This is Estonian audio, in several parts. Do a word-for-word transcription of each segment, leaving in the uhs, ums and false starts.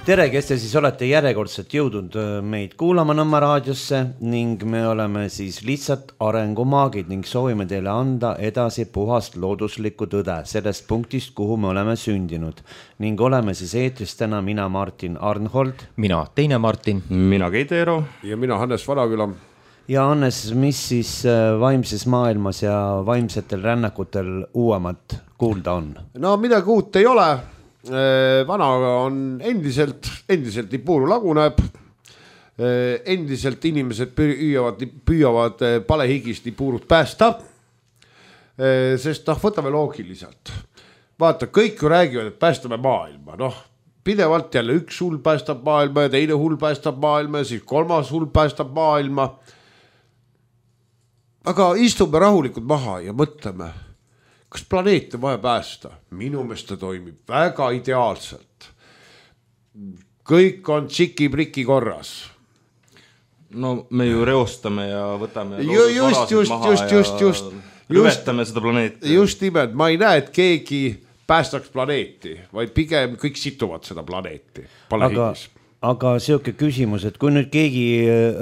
tere, kes te siis olete järjekordselt jõudnud meid kuulama Nõmme raadiosse ning me oleme siis lihtsalt arengumaagid ning soovime teile anda edasi puhast looduslikku tõde sellest punktist, kuhu me oleme sündinud. Ning oleme siis eetris täna mina Martin Arnhold. Mina Teine Martin. Mina Keit Eero. Ja mina Hannes Vanaküla. Ja Hannes, mis siis vaimses maailmas ja vaimsetel rännakutel uuemat kuulda on? No midagi uut ei ole. Vana on endiselt, endiselt nii puuru laguneb, endiselt inimesed püüavad, püüavad palehigist nii puurut päästa, sest noh, võtame loogiliselt. Vaata, kõik ju räägivad, et päästame maailma, noh, pidevalt jälle üks hull päästab maailma ja teine hull päästab maailma ja siis kolmas hull päästab maailma. Aga istume rahulikult maha ja mõtleme, kas planeet on vaja päästa? Minu meelest ta toimib väga ideaalselt. Kõik on tšiki-priki korras. No me ju reostame ja võtame just, just, maha just, just, just, ja rüvetame seda planeeti. Just nimelt, ma ei näe, et keegi päästaks planeeti, vaid pigem kõik situvad seda planeeti. Aga, aga siuke küsimus, et kui nüüd keegi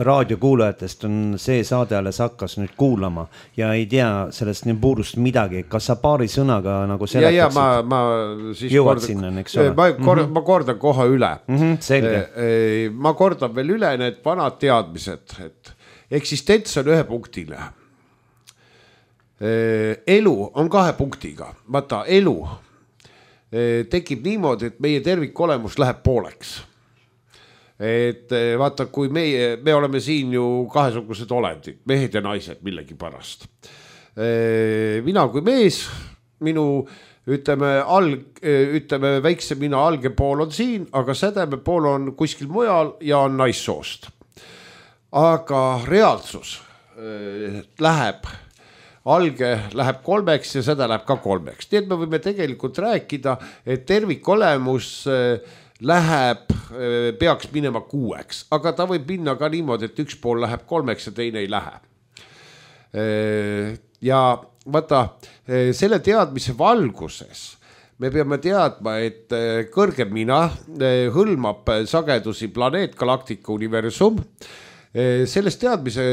raadiokuulajatest on see saade alles hakkas nüüd kuulama ja ei tea sellest nii puurust midagi, kas sa paari sõnaga nagu seletaksid? Ja, ja ma, ma siis jõuad kordan, sinna, eks ole? Ma, kor, mm-hmm. ma kordan koha üle. Mm-hmm, selge. Ma kordan veel üle need vanad teadmised, et eksistents on ühe punktile. Elu on kahe punktiga. Vaata, elu tekib niimoodi, et meie tervikolemus läheb pooleks. Et vaata, kui meie, me oleme siin ju kahesugused olendid, mehed ja naised millegi pärast. Mina kui mees, minu ütleme, alg, ütleme väikse mina alge pool on siin, aga sädeme pool on kuskil mujal ja on naissoost. Aga reaalsus läheb, alge läheb kolmeks ja seda läheb ka kolmeks. Nii et me võime tegelikult rääkida, et tervikolemus läheb, peaks minema kuueks, aga ta võib minna ka niimoodi, et üks pool läheb kolmeks ja teine ei lähe. Ja vaata, selle teadmise valguses me peame teadma, et kõrgem mina hõlmab sagedusi planeet, galaktika, universum. Sellest teadmise,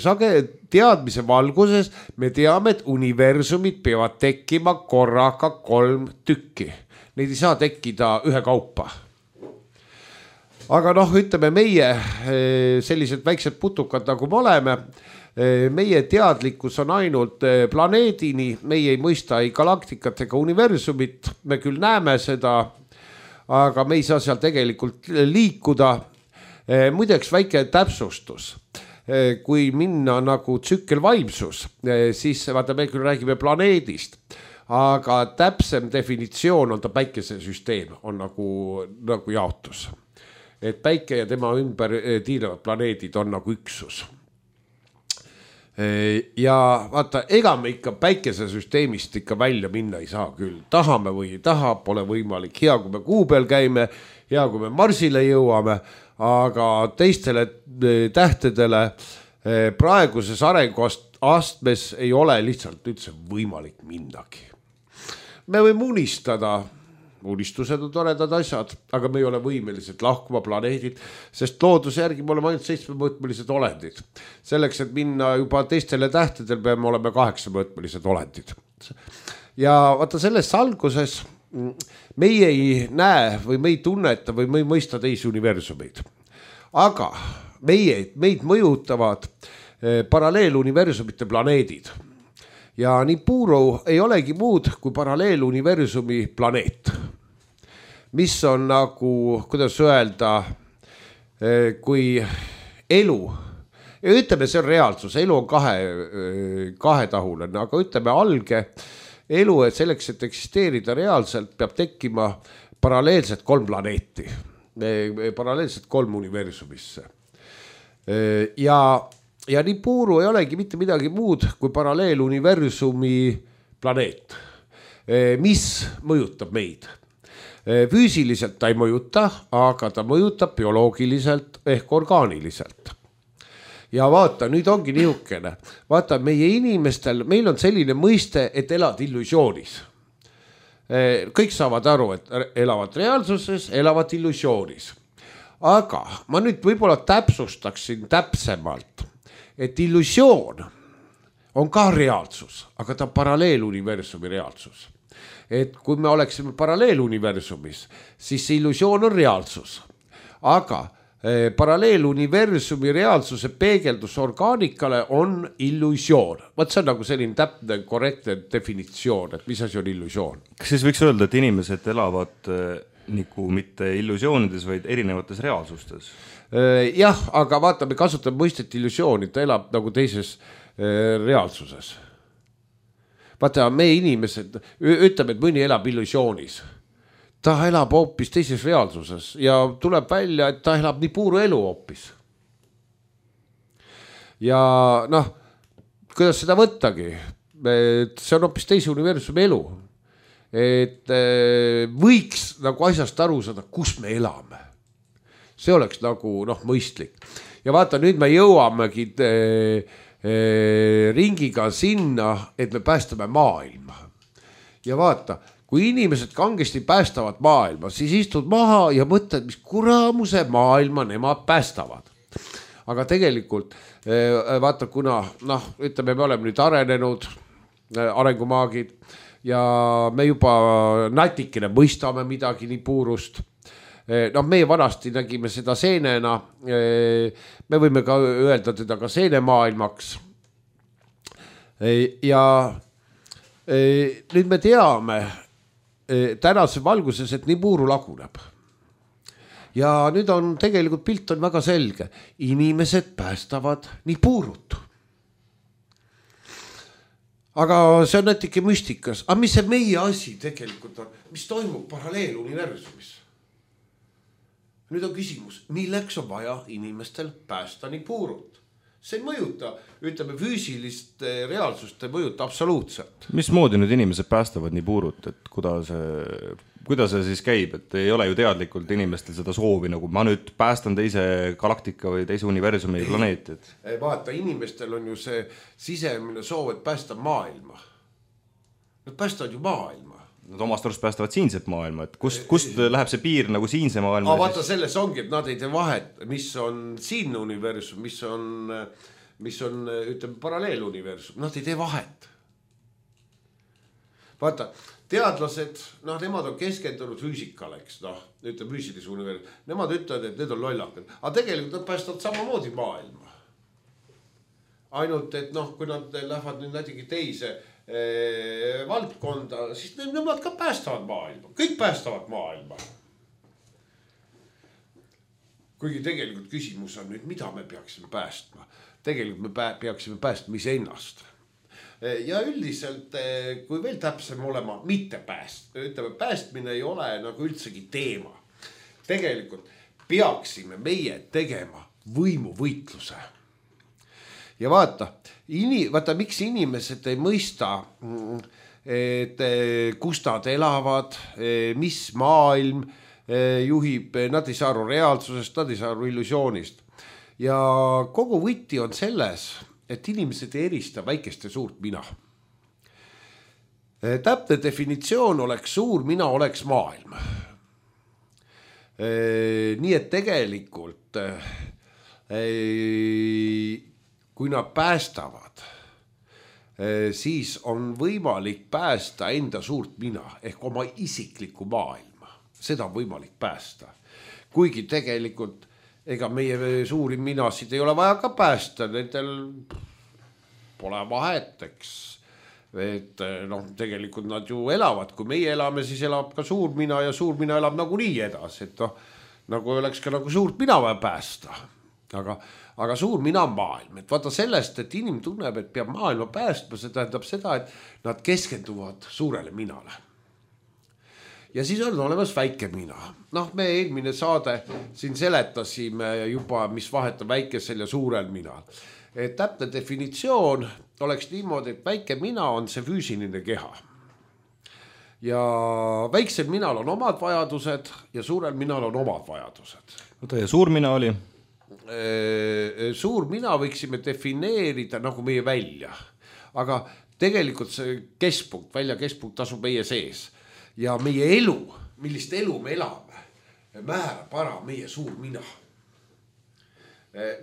sage, teadmise valguses me teame, et universumid peavad tekkima korraga kolm tükki. Neid ei saa tekkida ühe kaupa. Aga noh, ütleme meie sellised väiksed putukad nagu me oleme, meie teadlikkus on ainult planeedini, meie ei mõista ei galaktikat ega universumit, me küll näeme seda, aga me ei saa seal tegelikult liikuda. Muideks väike täpsustus. Kui minna nagu tsükkelvaimsus, siis vaata, me küll räägime planeedist, aga täpsem definitsioon on ta päikesesüsteem, on nagu, nagu jaotus. Et päike ja tema ümber tiilevad planeedid on nagu üksus. Ja vaata, ega me ikka päikesesüsteemist ikka välja minna ei saa küll. Tahame või ei taha, pole võimalik. Hea, kui me kuu peal käime, hea, kui me Marsile jõuame, aga teistele tähtedele praeguses arenguastmes ei ole lihtsalt üldse võimalik mindagi. Me võime unistada, unistused on toredad asjad, aga me ei ole võimelised lahkuma planeedid, sest looduse järgi me oleme ainult seitsmemõõtmelised olendid. Selleks, et minna juba teistele tähtedel, peame olema kaheksamõõtmelised olendid. Ja vaata selles alguses meie ei näe või me ei tunneta või me ei mõista teisi universumeid. Aga meie, meid mõjutavad paralleeluniversumite planeedid. Ja nii puuru ei olegi muud kui paralleeluniversumi planeet, mis on nagu, kuidas öelda, kui elu, ja ütleme, see on reaalsus, elu on kahe, kahetahuline, aga ütleme alge elu, et selleks, et eksisteerida reaalselt, peab tekkima paralleelselt kolm planeeti, paralleelselt kolm universumisse. Ja Ja nii puuru ei olegi mitte midagi muud kui paralleeluniversumi planeet, mis mõjutab meid. Füüsiliselt ta ei mõjuta, aga ta mõjutab bioloogiliselt ehk orgaaniliselt. Ja vaata, nüüd ongi niisugune. Vaata, meie inimestel, meil on selline mõiste, et elad illusioonis. kõik saavad aru, et elavad reaalsuses, elavad illusioonis. Aga ma nüüd võib-olla täpsustaksin täpsemalt, et illusioon on ka reaalsus, aga ta on paralleeluniversumi reaalsus. Et kui me oleksime paralleeluniversumis, siis see illusioon on reaalsus. Aga paralleeluniversumi reaalsuse peegeldus orgaanikale on illusioon. Vaat see on nagu selline täpne, korrektne definitsioon, et mis asi on illusioon. Kas siis võiks öelda, et inimesed elavad nagu mitte illusioonides, vaid erinevates reaalsustes? Jah, aga vaata, me kasutame mõistet illusiooni, ta elab nagu teises reaalsuses. Vaata, me inimesed, ütleme, et mõni elab illusioonis. Ta elab hoopis teises reaalsuses ja tuleb välja, et ta elab nii puuru elu hoopis. Ja noh, kuidas seda võttagi, et see on hoopis teise universumi elu. Et võiks nagu asjast aru saada, kus me elame. See oleks nagu noh, mõistlik. Ja vaata, nüüd me jõuamegi ringiga sinna, et me päästame maailma. Ja vaata, kui inimesed kangesti päästavad maailma, siis istud maha ja mõtled, mis kuramuse maailma nemad päästavad. Aga tegelikult, vaata, kuna, noh, ütleme, me oleme nüüd arenenud arengumaagid ja me juba natikene mõistame midagi nii puurust. No, meie vanasti nägime seda seenena, me võime ka öelda teda ka seenemaailmaks. Ja nüüd me teame tänase valguses, et nii puuru laguneb. Ja nüüd on tegelikult pilt on väga selge. Inimesed päästavad nii puurut. Aga see on natuke müstikas. Aga mis see meie asi tegelikult on? Mis toimub paralleeluniversumis? Nüüd on küsimus, milleks on vaja inimestel päästa nii puurut? See ei mõjuta, ütleme, füüsilist reaalsust ei mõjuta absoluutselt. Mismoodi nüüd inimesed päästavad nii puurut, et kuidas see, kuidas see siis käib, et ei ole ju teadlikult inimestel seda soovi, nagu ma nüüd päästan teise galaktika või teise universumi planeeti. Vaata, inimestel on ju see sisemine soov, et päästa maailma. Nad päästavad ju maailma. Nad omast arust päästavad siinset maailma, et kust, kust läheb see piir nagu siinse maailma? Aga vaata, selles ongi, et nad ei tee vahet, mis on siin universum, mis on, mis on ütleme, paralleeluniversum. Nad ei tee vahet. Vaata, teadlased, noh, nemad on keskendunud füüsikale, eks, noh, ütleme, füüsilise universum. Nemad ütlevad, et need on lollakad. Aga tegelikult nad päästavad samamoodi maailma. Ainult, et noh, kui nad lähevad nüüd näitegi teise valdkonda, siis nemad ka päästavad maailma. Kõik päästavad maailma. Kuigi tegelikult küsimus on nüüd, mida me peaksime päästma. Tegelikult me peaksime päästma iseennast. Ja üldiselt, kui veel täpsem olema, mitte pääst. Ütleme, päästmine ei ole nagu üldsegi teema. Tegelikult peaksime meie tegema võimuvõitluse. Ja vaata, ini, vaata, miks inimesed ei mõista, et kus nad elavad, mis maailm juhib, nad ei saa aru reaalsusest, nad ei saa aru illusioonist. Ja kogu võti on selles, et inimesed ei erista väikest ja suurt mina. Täpne definitsioon oleks suur mina oleks maailm. Nii et tegelikult kui nad päästavad, siis on võimalik päästa enda suurt mina ehk oma isiklikku maailma. Seda on võimalik päästa. Kuigi tegelikult ega meie suuri minasid ei ole vaja ka päästa, nendel pole vaheteks. Et noh, tegelikult nad ju elavad, kui meie elame, siis elab ka suur mina ja suur mina elab nagu nii edasi, et noh, nagu oleks ka nagu suurt mina vaja päästa. Aga, aga suur mina on maailm, et vaata sellest, et inimene tunneb, et peab maailma päästma, see tähendab seda, et nad keskenduvad suurele minale. Ja siis on olemas väike mina. Noh, me eelmine saade siin seletasime juba, mis vahet on väikesel ja suurel minal. Et täpne definitsioon oleks niimoodi, et väike mina on see füüsiline keha. Ja väiksel minal on omad vajadused ja suurel minal on omad vajadused. Oota, ja suur mina oli? Suur mina võiksime defineerida nagu meie välja. Aga tegelikult see keskpunkt, välja keskpunkt asub meie sees. ja meie elu, millist elu me elame, määrab ära meie suur mina.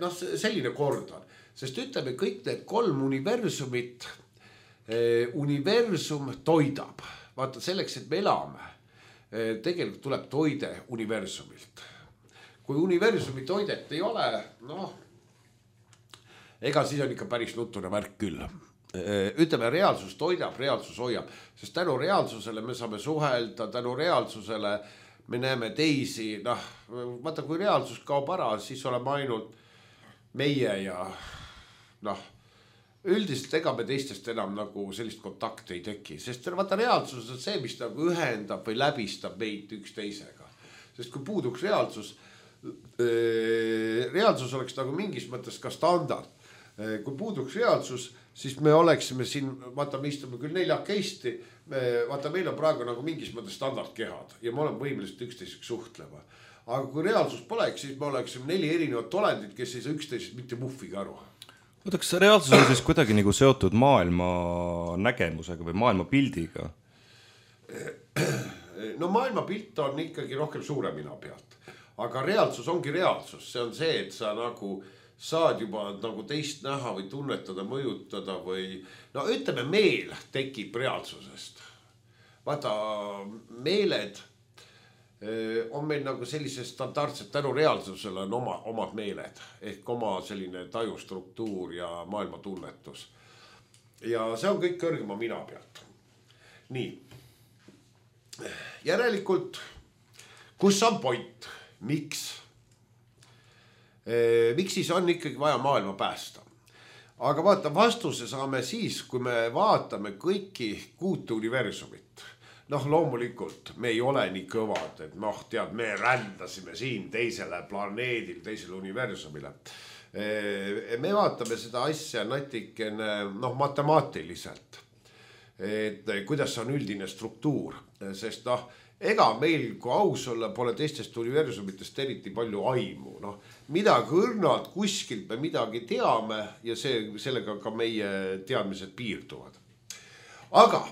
Noh, selline kord on, sest ütleme kõik need kolm universumit, universum toidab. Vaata selleks, et me elame, tegelikult tuleb toide universumilt. Kui universumi toidet ei ole, noh, ega siis on ikka päris nutune värk küll. Ütleme, reaalsus toidab, reaalsus hoiab, sest tänu reaalsusele me saame suhelda, tänu reaalsusele me näeme teisi, noh, vaata kui reaalsus kaob ära, siis oleme ainult meie ja noh, üldiselt ega me teistest enam nagu sellist kontakti ei teki, sest vaata reaalsus on see, mis nagu ühendab või läbistab meid üksteisega. Sest kui puuduks reaalsus, reaalsus oleks nagu mingis mõttes ka standard. Kui puuduks reaalsus, siis me oleksime siin, vaata me istume küll neljakesti, vaata meil on praegu nagu mingis mõttes standardkehad ja me oleme võimelised üksteiseks suhtlema. Aga kui reaalsus poleks, siis me oleksime neli erinevat olendit, kes ei saa üksteisest mitte muhvigi aru. Oota, kas reaalsus on siis kuidagi nagu seotud maailma nägemusega või maailma pildiga? No maailma pilt on ikkagi rohkem suure mina pealt. Aga reaalsus ongi reaalsus. See on see, et sa nagu saad juba nagu teist näha või tunnetada, mõjutada või... No ütleme, meel tekib reaalsusest. Vaata, meeled on meil nagu sellise standardsed, tänu reaalsusele on oma, omad meeled, ehk oma selline tajustruktuur ja maailma tunnetus. Ja see on kõik kõrgema mina pealt. Nii. Järelikult, kus on point? Miks? E, miks siis on ikkagi vaja maailma päästa? Aga vaata, vastuse saame siis, kui me vaatame kõiki kuute universumit. Noh, loomulikult me ei ole nii kõvad, et noh, tead, me rändasime siin teisele planeedil, teisele universumile. Me vaatame seda asja natikene, noh, matemaatiliselt, et kuidas on üldine struktuur, sest noh, ega meil, kui aus olla, pole teistest universumitest eriti palju aimu. Noh, midagi õrnalt kuskilt me midagi teame ja see, sellega ka meie teadmised piirduvad. Aga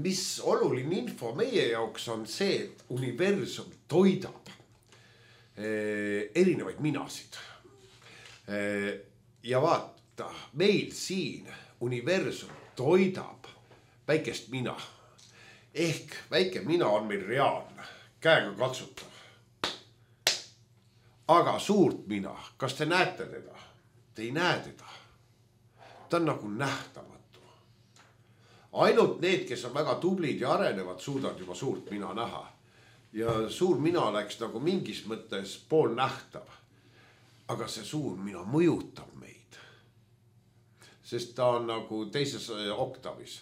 mis oluline info meie jaoks on see, et universum toidab erinevaid minasid. Ja vaata, meil siin universum toidab väikest mina. Ehk väike mina on meil reaalne, käega katsutav. Aga suurt mina, kas te näete teda? Te ei näe teda. Ta on nagu nähtamatu. Ainult need, kes on väga tublid ja arenevad, suudavad juba suurt mina näha. Ja suur mina oleks nagu mingis mõttes pool nähtav. Aga see suur mina mõjutab meid. Sest ta on nagu teises oktavis.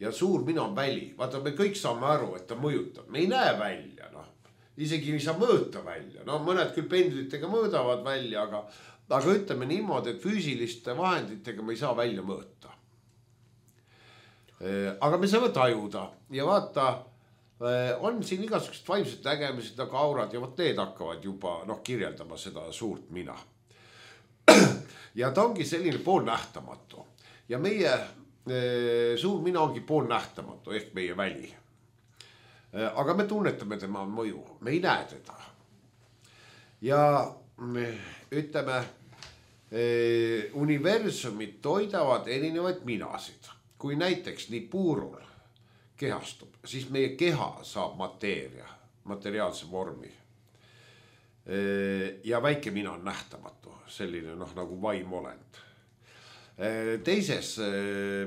Ja suur mina on väli. Vaata, me kõik saame aru, et ta mõjutab. Me ei näe välja, noh. Isegi ei saa mõõta välja. No mõned küll pendlitega mõõdavad välja, aga, aga ütleme niimoodi, et füüsiliste vahenditega me ei saa välja mõõta. Aga me saame tajuda ja vaata, on siin igasugused vaimsed nägemised nagu aurad ja võt need hakkavad juba noh, kirjeldama seda suurt mina. Ja ta ongi selline poolnähtamatu ja meie suur mina ongi poolnähtamatu ehk meie väli. Aga me tunnetame tema mõju, me ei näe teda. Ja ütleme, universumid toidavad erinevaid minasid. Kui näiteks nii puurul kehastub, siis meie keha saab mateeria, materiaalse vormi. Ja väike mina on nähtamatu, selline noh, nagu vaimolend. Teises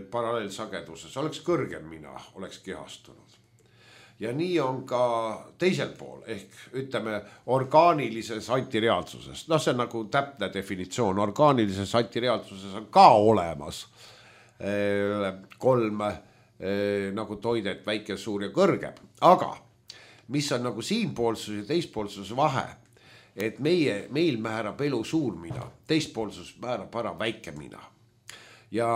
paralleelsageduses oleks kõrgem mina, oleks kehastunud. Ja nii on ka teisel pool, ehk ütleme orgaanilises antireaalsuses. No see on nagu täpne definitsioon, orgaanilises antireaalsuses on ka olemas kolm nagu toidet, väike, suur ja kõrgem. Aga mis on nagu siinpoolsus ja teispoolsus vahe, et meie, meil määrab elu suur mina, teispoolsus määrab ära väike mina. Ja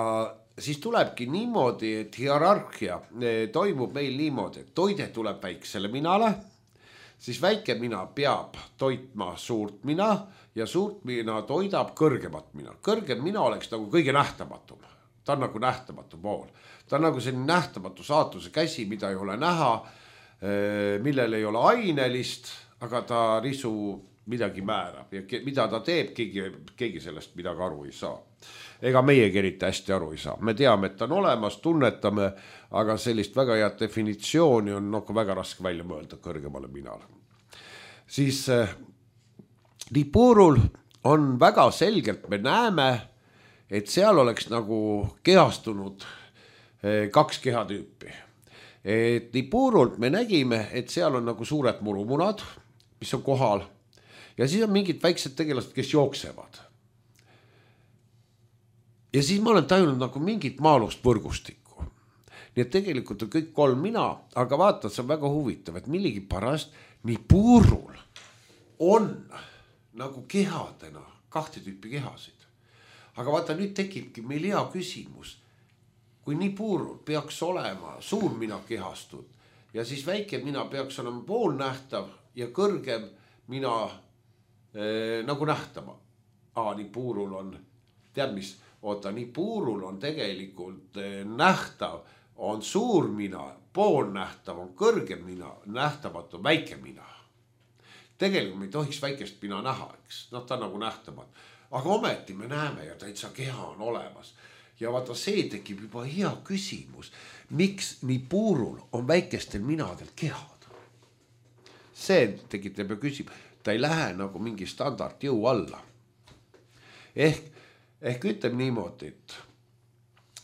siis tulebki niimoodi, et hierarhia toimub meil niimoodi, et toide tuleb väiksele minale, siis väike mina peab toitma suurt mina ja suurt mina toidab kõrgemat mina. Kõrgem mina oleks nagu kõige nähtamatum. ta on nagu nähtamatu pool. Ta on nagu selline nähtamatu saatuse käsi, mida ei ole näha, millel ei ole ainelist, aga ta risu midagi määrab ja mida ta teeb, keegi, keegi sellest midagi aru ei saa. Ega meiegi eriti hästi aru ei saa. Me teame, et ta on olemas, tunnetame, aga sellist väga head definitsiooni on nagu väga raske välja mõelda kõrgemale minale. Siis Nibiru'l on väga selgelt, me näeme, et seal oleks nagu kehastunud kaks kehatüüpi. Et Nibiru'lt me nägime, et seal on nagu suured murumunad, mis on kohal ja siis on mingid väiksed tegelased, kes jooksevad. Ja siis ma olen tajunud nagu mingit maalust võrgustikku. Nii et tegelikult on kõik kolm mina, aga vaata, see on väga huvitav, et millegi pärast Nibiru'l on nagu kehadena kahte tüüpi kehasid. Aga vaata, nüüd tekibki meil hea küsimus. Kui Nibiru'l peaks olema suur mina kehastud ja siis väike mina peaks olema poolnähtav ja kõrgem mina eh, nagu nähtama. Aa, Nibiru'l on, tead mis, oota, Nibiru'l on tegelikult eh, nähtav, on suur mina, poolnähtav, on kõrgem mina, nähtamatu, väike mina. Tegelikult me ei tohiks väikest mina näha, eks, noh ta nagu nähtamatu. Aga ometi me näeme ja täitsa keha on olemas. Ja vaata, see tekib juba hea küsimus. Miks Nibiru'l on väikestel minadel kehad? See tekitab ja küsib. Ta ei lähe nagu mingi standard jõu alla. Ehk, ehk ütleme niimoodi, et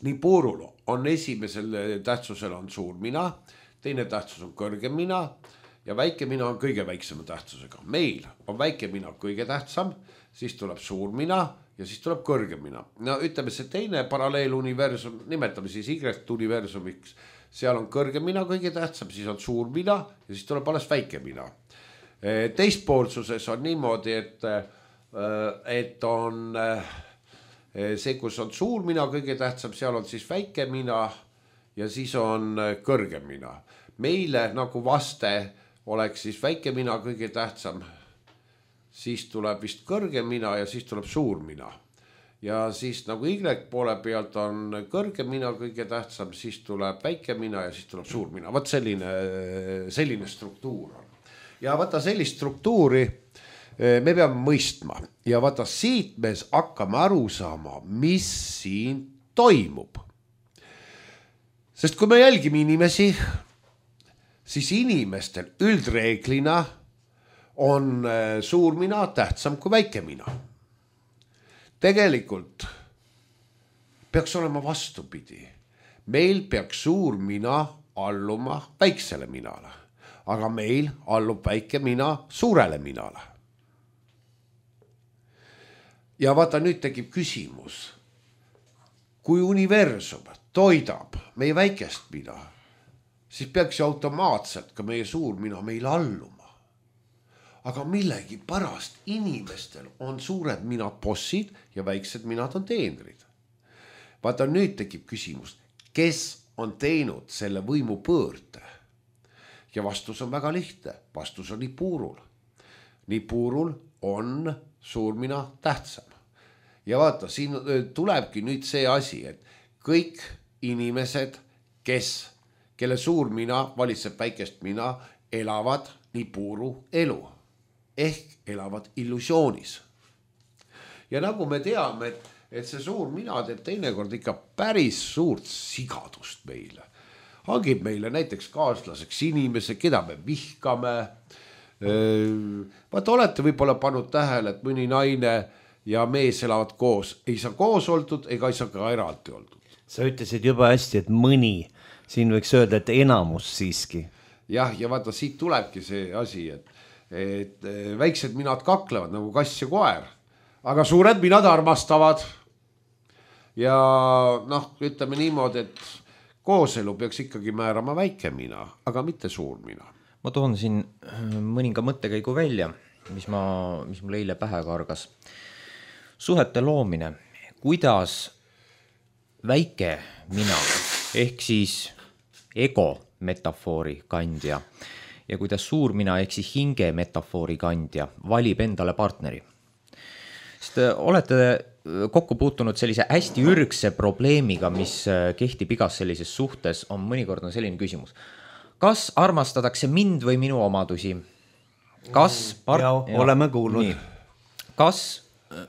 Nibiru'l on esimesel tähtsusel on suur mina, teine tähtsus on kõrgem mina ja väike mina on kõige väiksema tähtsusega. Meil on väike mina kõige tähtsam, siis tuleb suur mina ja siis tuleb kõrgem mina. No ütleme see teine paralleeluniversum, nimetame siis Y-universumiks, seal on kõrgem mina kõige tähtsam, siis on suur mina ja siis tuleb alles väike mina. Teistpoolsuses on niimoodi, et, et on see, kus on suur mina kõige tähtsam, seal on siis väike mina ja siis on kõrgem mina. Meile nagu vaste oleks siis väike mina kõige tähtsam, siis tuleb vist kõrgem mina ja siis tuleb suur mina. Ja siis nagu Y poole pealt on kõrgem mina kõige tähtsam, siis tuleb väike mina ja siis tuleb suur mina. Vaat selline, selline struktuur on. Ja vaata sellist struktuuri me peame mõistma. Ja vaata siit me hakkame aru saama, mis siin toimub. Sest kui me jälgime inimesi, siis inimestel üldreeglina on suur mina tähtsam kui väike mina. Tegelikult peaks olema vastupidi. Meil peaks suur mina alluma väiksele minale, aga meil allub väike mina suurele minale. Ja vaata, nüüd tekib küsimus. Kui universum toidab meie väikest mina, siis peaks ju automaatselt ka meie suur mina meil alluma. Aga millegi pärast inimestel on suured mina bossid ja väiksed minad on teenrid. Vaata, nüüd tekib küsimus, kes on teinud selle võimu pöörde? Ja vastus on väga lihtne. Vastus on Nibiru'l. Nibiru'l on suur mina tähtsam. Ja vaata, siin tulebki nüüd see asi, et kõik inimesed, kes, kelle suur mina valitseb väikest mina, elavad Nibiru elu. Ehk elavad illusioonis. Ja nagu me teame, et, et see suur mina teeb teinekord ikka päris suurt sigadust meile. Hangib meile näiteks kaaslaseks inimese, keda me vihkame. Vaata, olete võib-olla pannud tähele, et mõni naine ja mees elavad koos. Ei saa koos oldud, ega ei saa ka eraldi oldud. Sa ütlesid juba hästi, et mõni. Siin võiks öelda, et enamus siiski. Jah, ja vaata, siit tulebki see asi, et et väiksed minad kaklevad nagu kass ja koer, aga suured minad armastavad. Ja noh, ütleme niimoodi, et kooselu peaks ikkagi määrama väike mina, aga mitte suur mina. Ma toon siin mõninga mõttekäigu välja, mis, ma, mis mul eile pähe kargas. Suhete loomine, kuidas väike mina, ehk siis ego metafoori kandja, ja kuidas suur mina ehk siis hinge metafoori kandja valib endale partneri. Sest olete kokku puutunud sellise hästi ürgse probleemiga, mis kehtib igas sellises suhtes, on mõnikord on selline küsimus. Kas armastatakse mind või minu omadusi? Kas part... ja, ja, oleme kuulnud. Nii. Kas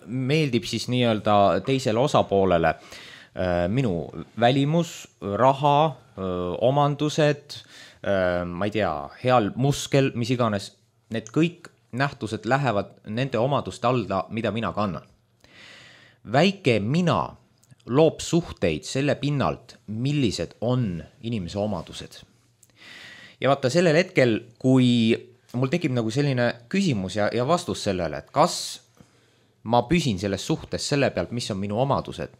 meeldib siis nii-öelda teisele osapoolele äh, minu välimus, raha, äh, omandused, äh, ma ei tea, heal muskel, mis iganes, need kõik nähtused lähevad nende omaduste alla, mida mina kannan. Väike mina loob suhteid selle pinnalt, millised on inimese omadused. Ja vaata sellel hetkel, kui mul tekib nagu selline küsimus ja, ja vastus sellele, et kas ma püsin selles suhtes selle pealt, mis on minu omadused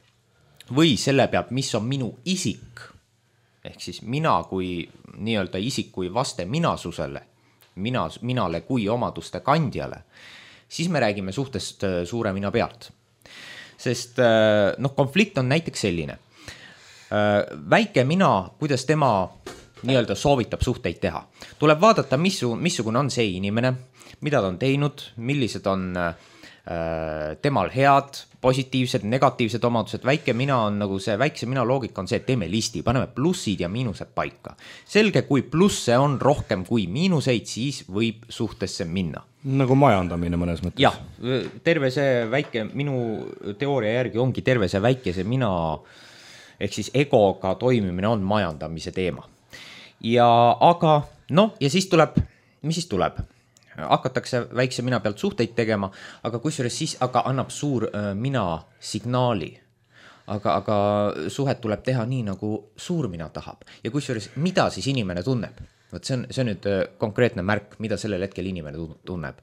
või selle pealt, mis on minu isik, ehk siis mina kui nii-öelda isik kui vaste minasusele, mina, minale kui omaduste kandjale, siis me räägime suhtest suure mina pealt. Sest noh, konflikt on näiteks selline. Väike mina, kuidas tema nii-öelda soovitab suhteid teha. Tuleb vaadata, missu, missugune on see inimene, mida ta on teinud, millised on äh, temal head, positiivsed, negatiivsed omadused. Väike mina on nagu see, väikse mina loogika on see, et teeme listi, paneme plussid ja miinused paika. Selge, kui plusse on rohkem kui miinuseid, siis võib suhtesse minna. Nagu majandamine mõnes mõttes. Jah, terve see väike, minu teooria järgi ongi terve see väikese mina, ehk siis egoga toimimine on majandamise teema. Ja aga, noh, ja siis tuleb, mis siis tuleb? Hakatakse väikse mina pealt suhteid tegema, aga kusjuures siis aga annab suur äh, mina signaali. Aga, aga suhet tuleb teha nii, nagu suur mina tahab. Ja kusjuures, mida siis inimene tunneb? Võt see on, see on nüüd konkreetne märk, mida sellel hetkel inimene tunneb.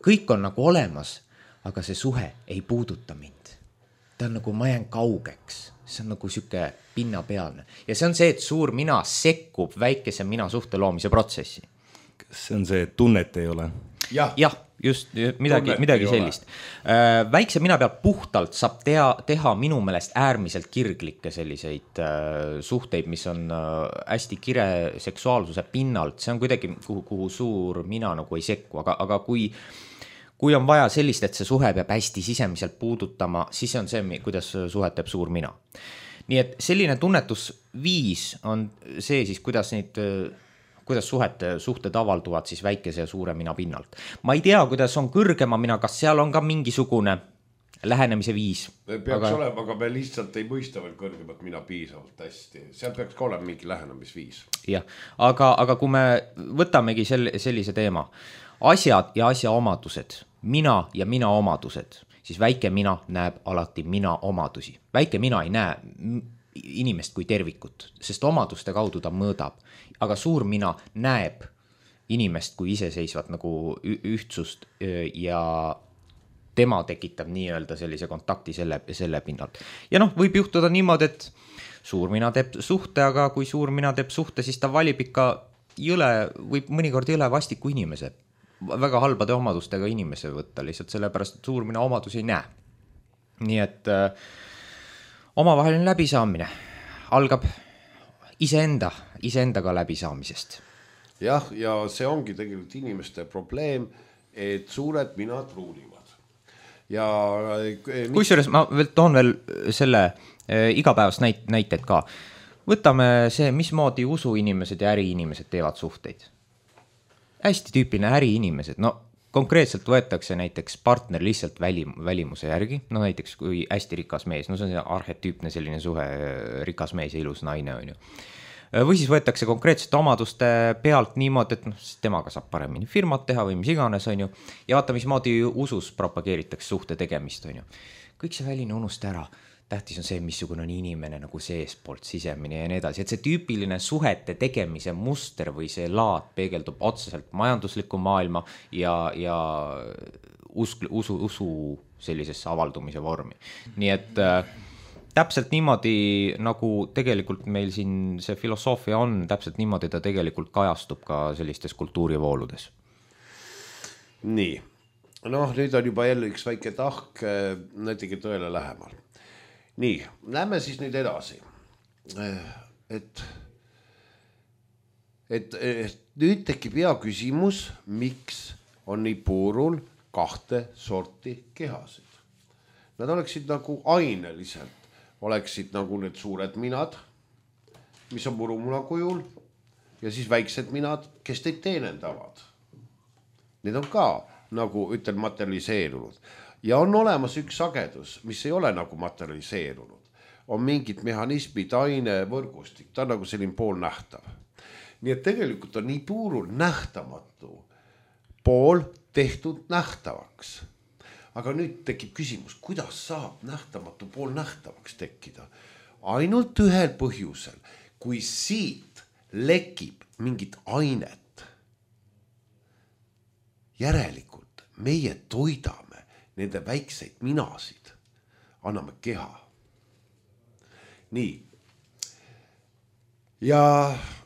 Kõik on nagu olemas, aga see suhe ei puuduta mind. Ta on nagu, ma jään kaugeks. See on nagu süke pinnapealne. Ja see on see, et suur mina sekkub väikese mina suhte loomise protsessi. Kas see on see, et tunnet ei ole? Jah, ja, just midagi, midagi sellist. Äh, väikse mina pealt puhtalt saab tea, teha minu meelest äärmiselt kirglikke selliseid äh, suhteid, mis on äh, hästi kire seksuaalsuse pinnalt. See on kuidagi, kuhu, kuhu suur mina nagu ei sekku, aga, aga kui, kui on vaja sellist, et see suhe peab hästi sisemiselt puudutama, siis on see, kuidas suhet teeb suur mina. Nii et selline tunnetusviis on see siis, kuidas neid kuidas suhete, suhted avalduvad siis väikese ja suure mina pinnalt. Ma ei tea, kuidas on kõrgema mina, kas seal on ka mingisugune lähenemise viis. Peaks aga... olema, aga me lihtsalt ei mõista veel kõrgemat mina piisavalt hästi. Seal peaks ka olema mingi lähenemisviis. Jah, aga, aga kui me võtamegi sel, sellise teema, asjad ja asja omadused, mina ja mina omadused, siis väike mina näeb alati mina omadusi. Väike mina ei näe inimest kui tervikut, sest omaduste kaudu ta mõõdab. Aga suur mina näeb inimest kui iseseisvat nagu ühtsust ja tema tekitab nii-öelda sellise kontakti selle, selle pinnalt. Ja noh, võib juhtuda niimoodi, et suur mina teeb suhte, aga kui suur mina teeb suhte, siis ta valib ikka jõle, võib mõnikord jõle vastiku inimese. Väga halbade omadustega inimese võtta lihtsalt sellepärast, et suur mina omadusi ei näe. Nii et äh, omavaheline läbisaamine algab iseenda, iseendaga läbisaamisest. Jah, ja see ongi tegelikult inimeste probleem, et suured minad ruulivad. Ja kusjuures ma veel toon veel selle äh, igapäevast näit, näited ka. Võtame see, mismoodi usuinimesed ja äriinimesed teevad suhteid. Hästi tüüpiline äriinimesed, no konkreetselt võetakse näiteks partner lihtsalt välim, välimuse järgi, no näiteks kui hästi rikas mees, no see on see arhetüüpne selline suhe, rikas mees ja ilus naine on ju. Või siis võetakse konkreetsete omaduste pealt niimoodi, et no, temaga saab paremini firmat teha või mis iganes on ju, ja vaata, mismoodi usus propageeritakse suhte tegemist on ju. Kõik see väline unusta ära. Tähtis on see, missugune on inimene nagu seespoolt sisemine ja nii edasi, et see tüüpiline suhete tegemise muster või see laad peegeldub otseselt majandusliku maailma ja, ja usk, usu, usu sellisesse avaldumise vormi. Nii et äh, täpselt niimoodi, nagu tegelikult meil siin see filosoofia on, täpselt niimoodi ta tegelikult kajastub ka sellistes kultuurivooludes. Nii, noh, nüüd on juba jälle üks väike tahk, näitegi tõele lähemal. Nii, lähme siis nüüd edasi, et, et, et nüüd tekib hea küsimus, miks on nii puurul kahte sorti kehasid. nad oleksid nagu aineliselt, oleksid nagu need suured minad, mis on murumuna kujul ja siis väiksed minad, kes teid teenendavad. Need on ka nagu ütlen materialiseerunud ja on olemas üks sagedus, mis ei ole nagu materialiseerunud. On mingid mehhanismid, aine, võrgustik, ta on nagu selline poolnähtav. Nii et tegelikult on nii puurul nähtamatu pool tehtud nähtavaks. Aga nüüd tekib küsimus, kuidas saab nähtamatu pool nähtavaks tekkida? Ainult ühel põhjusel, kui siit lekib mingit ainet. Järelikult meie toidame nende väikseid minasid, anname keha. Nii. Ja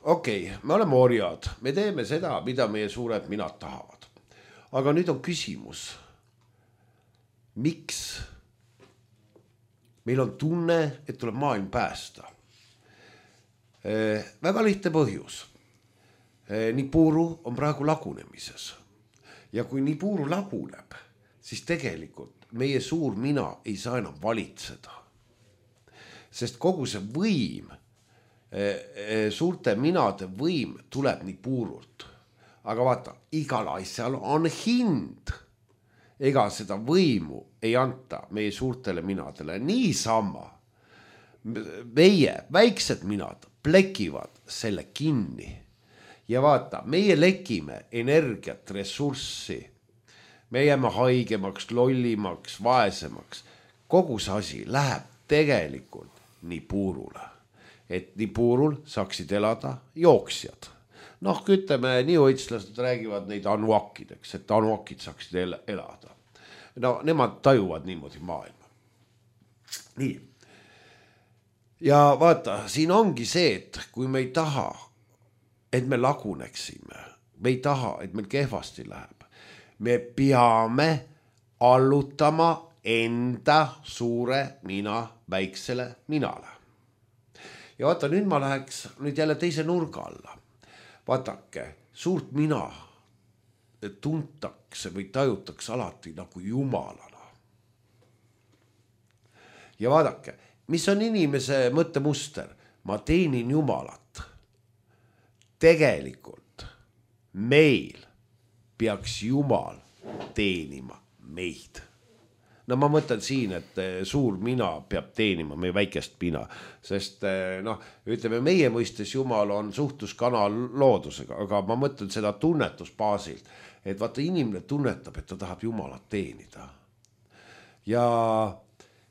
okei, okay, me oleme orjad, me teeme seda, mida meie suured minad tahavad. Aga nüüd on küsimus, miks meil on tunne, et tuleb maailm päästa? Väga lihtne põhjus. Nibiru on praegu lagunemises. Ja kui Nibiru laguneb, siis tegelikult meie suur mina ei saa enam valitseda. Sest kogu see võim, suurte minade võim tuleb Nibirult. Aga vaata, igal asjal on hind. Ega seda võimu ei anta meie suurtele minadele. Niisama meie väiksed minad plekivad selle kinni. Ja vaata, meie lekime energiat, ressurssi. Me jääme haigemaks, lollimaks, vaesemaks. Kogu see asi läheb tegelikult Nibirule. Et Nibirul saaksid elada jooksjad. Noh, ütleme, niuõitslased räägivad neid anuakideks, et anuakid saaksid elada. No, nemad tajuvad niimoodi maailma. Nii. Ja vaata, siin ongi see, et kui me ei taha, et me laguneksime, me ei taha, et meil kehvasti läheb, me peame allutama enda suure mina väiksele minale. Ja vaata, nüüd ma läheks nüüd jälle teise nurga alla. Vaatake, suurt mina tuntakse või tajutakse alati nagu jumalana. Ja vaadake, mis on inimese mõttemuster? Ma teenin jumalat. Tegelikult meil peaks jumal teenima meid. No ma mõtlen siin, et suur mina peab teenima meie väikest mina, sest noh, ütleme, meie mõistes jumal on suhtluskanal loodusega, aga ma mõtlen seda tunnetusbaasilt, et vaata inimene tunnetab, et ta tahab jumalat teenida. Ja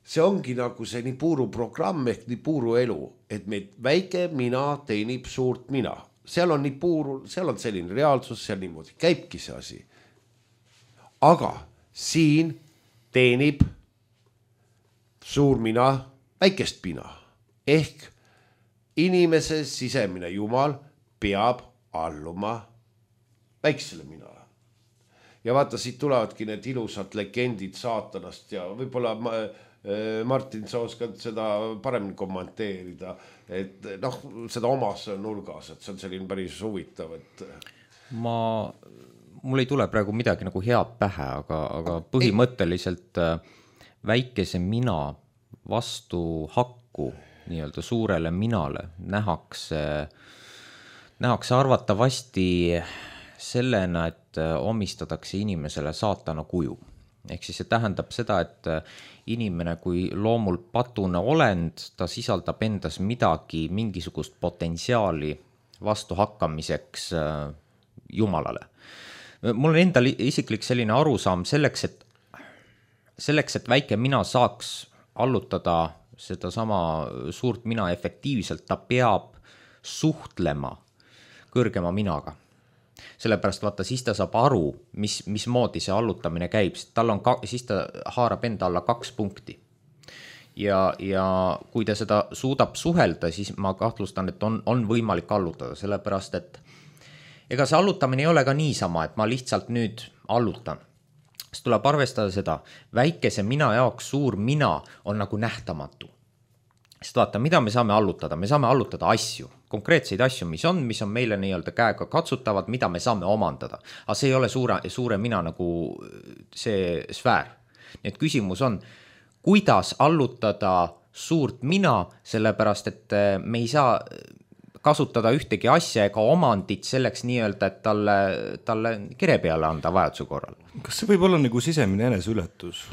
see ongi nagu see Nibiru programm ehk Nibiru elu, et meid väike mina teenib suurt mina. Seal on Nibiru, seal on selline reaalsus, seal niimoodi käibki see asi. Aga siin teenib suur mina väikest mina. Ehk inimese sisemine jumal peab alluma väiksele minale. Ja vaata, siit tulevadki need ilusad legendid saatanast ja võib-olla Martin, sa oskad seda paremini kommenteerida, et noh, seda omas nurgas, et see on selline päris huvitav, et ma mul ei tule praegu midagi nagu head pähe, aga, aga põhimõtteliselt väikese mina vastu hakku nii-öelda suurele minale nähakse, nähakse arvatavasti sellena, et omistatakse inimesele saatana kuju. Ehk siis see tähendab seda, et inimene kui loomul patune olend, ta sisaldab endas midagi, mingisugust potentsiaali vastu hakkamiseks jumalale. Mul on endal isiklik selline arusaam selleks, et, selleks, et väike mina saaks allutada seda sama suurt mina efektiivselt, ta peab suhtlema kõrgema minaga. Sellepärast vaata, siis ta saab aru, mis, mis moodi see allutamine käib, tal on ka, siis ta haarab enda alla kaks punkti. Ja, ja kui ta seda suudab suhelda, siis ma kahtlustan, et on, on võimalik allutada, sellepärast, et ega see allutamine ei ole ka niisama, et ma lihtsalt nüüd allutan. Siis tuleb arvestada seda, väikese mina jaoks suur mina on nagu nähtamatu. Sest vaata, mida me saame allutada? Me saame allutada asju, konkreetseid asju, mis on, mis on meile nii-öelda käega katsutavad, mida me saame omandada. Aga see ei ole suure, suure mina nagu see sfäär. Nii et küsimus on, kuidas allutada suurt mina, sellepärast et me ei saa kasutada ühtegi asja ega omandit selleks nii-öelda, et talle, talle kere peale anda vajaduse korral. Kas see võib olla nagu sisemine eneseületus?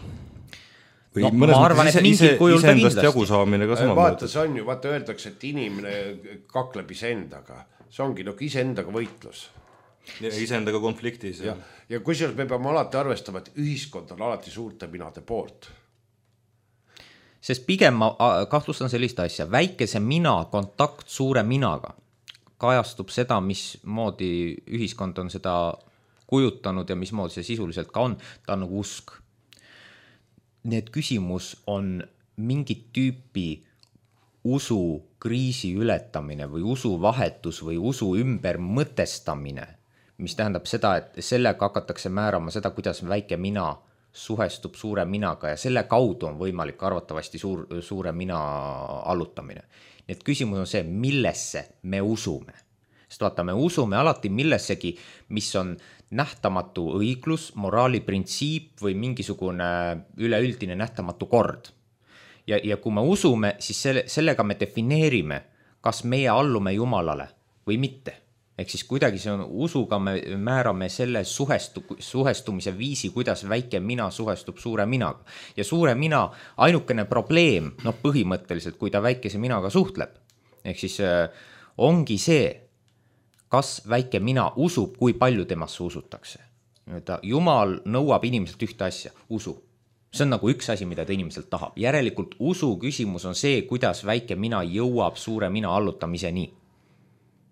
Või No, mõnes ma arvan, mõttes et mingil kujul ta iseendast kindlasti. jagu saamine ka sama vaata, see on ju, vaata öeldakse, et inimene kakleb iseendaga. See ongi nagu iseendaga võitlus. ja iseendaga konfliktis. Ja, ja kusjuures me peame alati arvestama, et ühiskond on alati suurte minade poolt. Sest pigem ma a, kahtlustan sellist asja, väikese mina kontakt suure minaga kajastub seda, mismoodi ühiskond on seda kujutanud ja mismoodi see sisuliselt ka on, ta on nagu usk. Nii et küsimus on mingit tüüpi usu kriisi ületamine või usu vahetus või usu ümber mõtestamine, mis tähendab seda, et sellega hakatakse määrama seda, kuidas väike mina suhestub suure minaga ja selle kaudu on võimalik arvatavasti suur, suure mina allutamine. Nii et küsimus on see, millesse me usume. Sest vaata, me usume alati millessegi, mis on nähtamatu õiglus, moraali printsiip või mingisugune üleüldine nähtamatu kord. Ja, ja kui me usume, siis selle, sellega me defineerime, kas meie allume Jumalale või mitte. Ehk siis kuidagi see on usuga me määrame selle suhestu, suhestumise viisi, kuidas väike mina suhestub suure minaga. Ja suure mina ainukene probleem, noh põhimõtteliselt, kui ta väikese minaga suhtleb, ehk siis äh, ongi see, kas väike mina usub, kui palju temasse usutakse. Jumal nõuab inimeselt ühte asja, usu. See on nagu üks asi, mida ta inimeselt tahab. Järelikult usu küsimus on see, kuidas väike mina jõuab suure mina allutamiseni.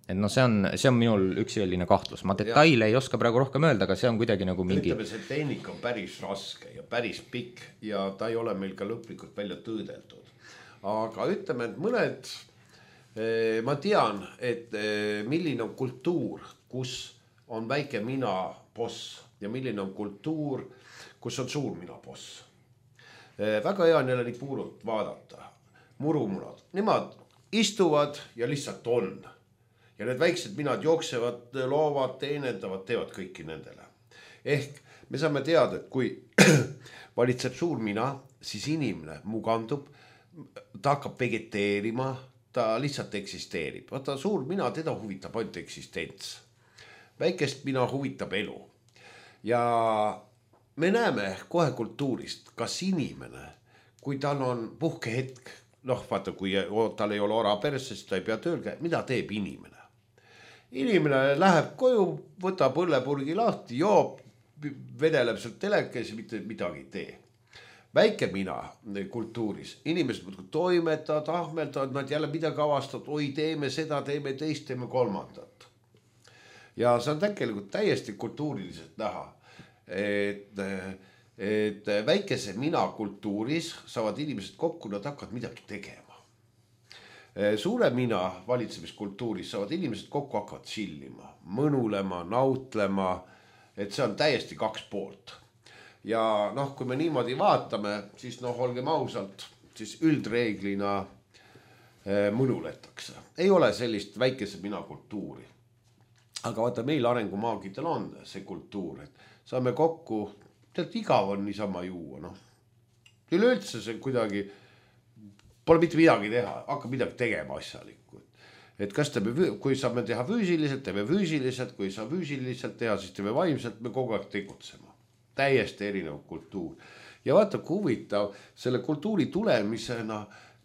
Et no see on, see on minul üks selline kahtlus. Ma detaile ja. ei oska praegu rohkem öelda, aga see on kuidagi nagu mingi... Ütleme, see tehnika on päris raske ja päris pikk ja ta ei ole meil ka lõplikult välja tõõdeldud. Aga ütleme, et mõned... Ma tean, et milline on kultuur, kus on väike mina boss ja milline on kultuur, kus on suur mina boss. Väga hea on jälle nii puurult vaadata. Murumunad. Nemad istuvad ja lihtsalt on. Ja need väiksed minad jooksevad, loovad, teenendavad, teevad kõiki nendele. Ehk me saame teada, et kui valitseb suur mina, siis inimene mugandub, ta hakkab vegeteerima, ta lihtsalt eksisteerib. Vaata, suur mina, teda huvitab ainult eksistents. Väikest mina huvitab elu. Ja me näeme kohe kultuurist, kas inimene, kui tal on puhkehetk, noh, vaata, kui tal ei ole ora perse, siis ta ei pea tööl käia, mida teeb inimene? Inimene läheb koju, võtab õllepurgi lahti, joob, vedeleb sealt telekes ja mitte midagi ei tee. Väike mina kultuuris, inimesed toimetavad, ahmeldavad, nad jälle midagi avastavad, oi teeme seda, teeme teist, teeme kolmandat. Ja see on tegelikult täiesti kultuuriliselt näha, et, et väikese mina kultuuris saavad inimesed kokku, nad hakkavad midagi tegema. Suure mina valitsemiskultuuris saavad inimesed kokku, hakkavad chillima, mõnulema, nautlema, et see on täiesti kaks poolt. Ja noh, kui me niimoodi vaatame, siis noh, olgem ausalt, siis üldreeglina mõnuletakse. Ei ole sellist väikese mina kultuuri. Aga vaata, meil arengumaagitel on see kultuur, et saame kokku, tead, igav on niisama juua, noh. Üleüldse see kuidagi, pole mitte midagi teha, hakkab midagi tegema asjalikku. Et kas teeme, kui saame teha füüsiliselt, teeme füüsiliselt, kui saa füüsiliselt teha, siis teeme vaimselt, me kogu aeg tegutsema. Täiesti erinev kultuur. Ja vaata, kui huvitav, selle kultuuri tulemisena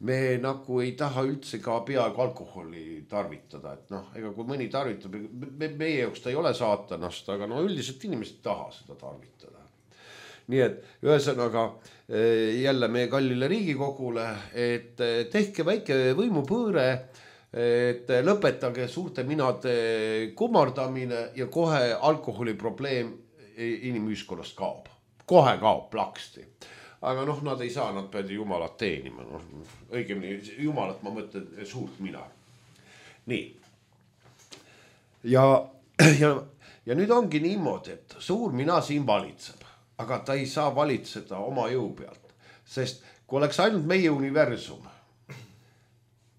me nagu ei taha üldse ka peaaegu alkoholi tarvitada. Et noh, ega kui mõni tarvitab, me, meie jaoks ta ei ole saatanast, aga no üldiselt inimesed ei taha seda tarvitada. Nii et ühesõnaga jälle meie kallile Riigikogule, et tehke väike võimupõõre, et lõpetage suurte minade kummardamine ja kohe alkoholi probleem inimühiskonnast kaob. Kohe kaob plaksti. Aga noh, nad ei saa, nad peavad Jumalat teenima. No, õigemini, Jumalat ma mõtlen suurt mina. Nii. Ja, ja, ja nüüd ongi niimoodi, et suur mina siin valitseb. Aga ta ei saa valitseda oma jõu pealt. Sest kui oleks ainult meie universum,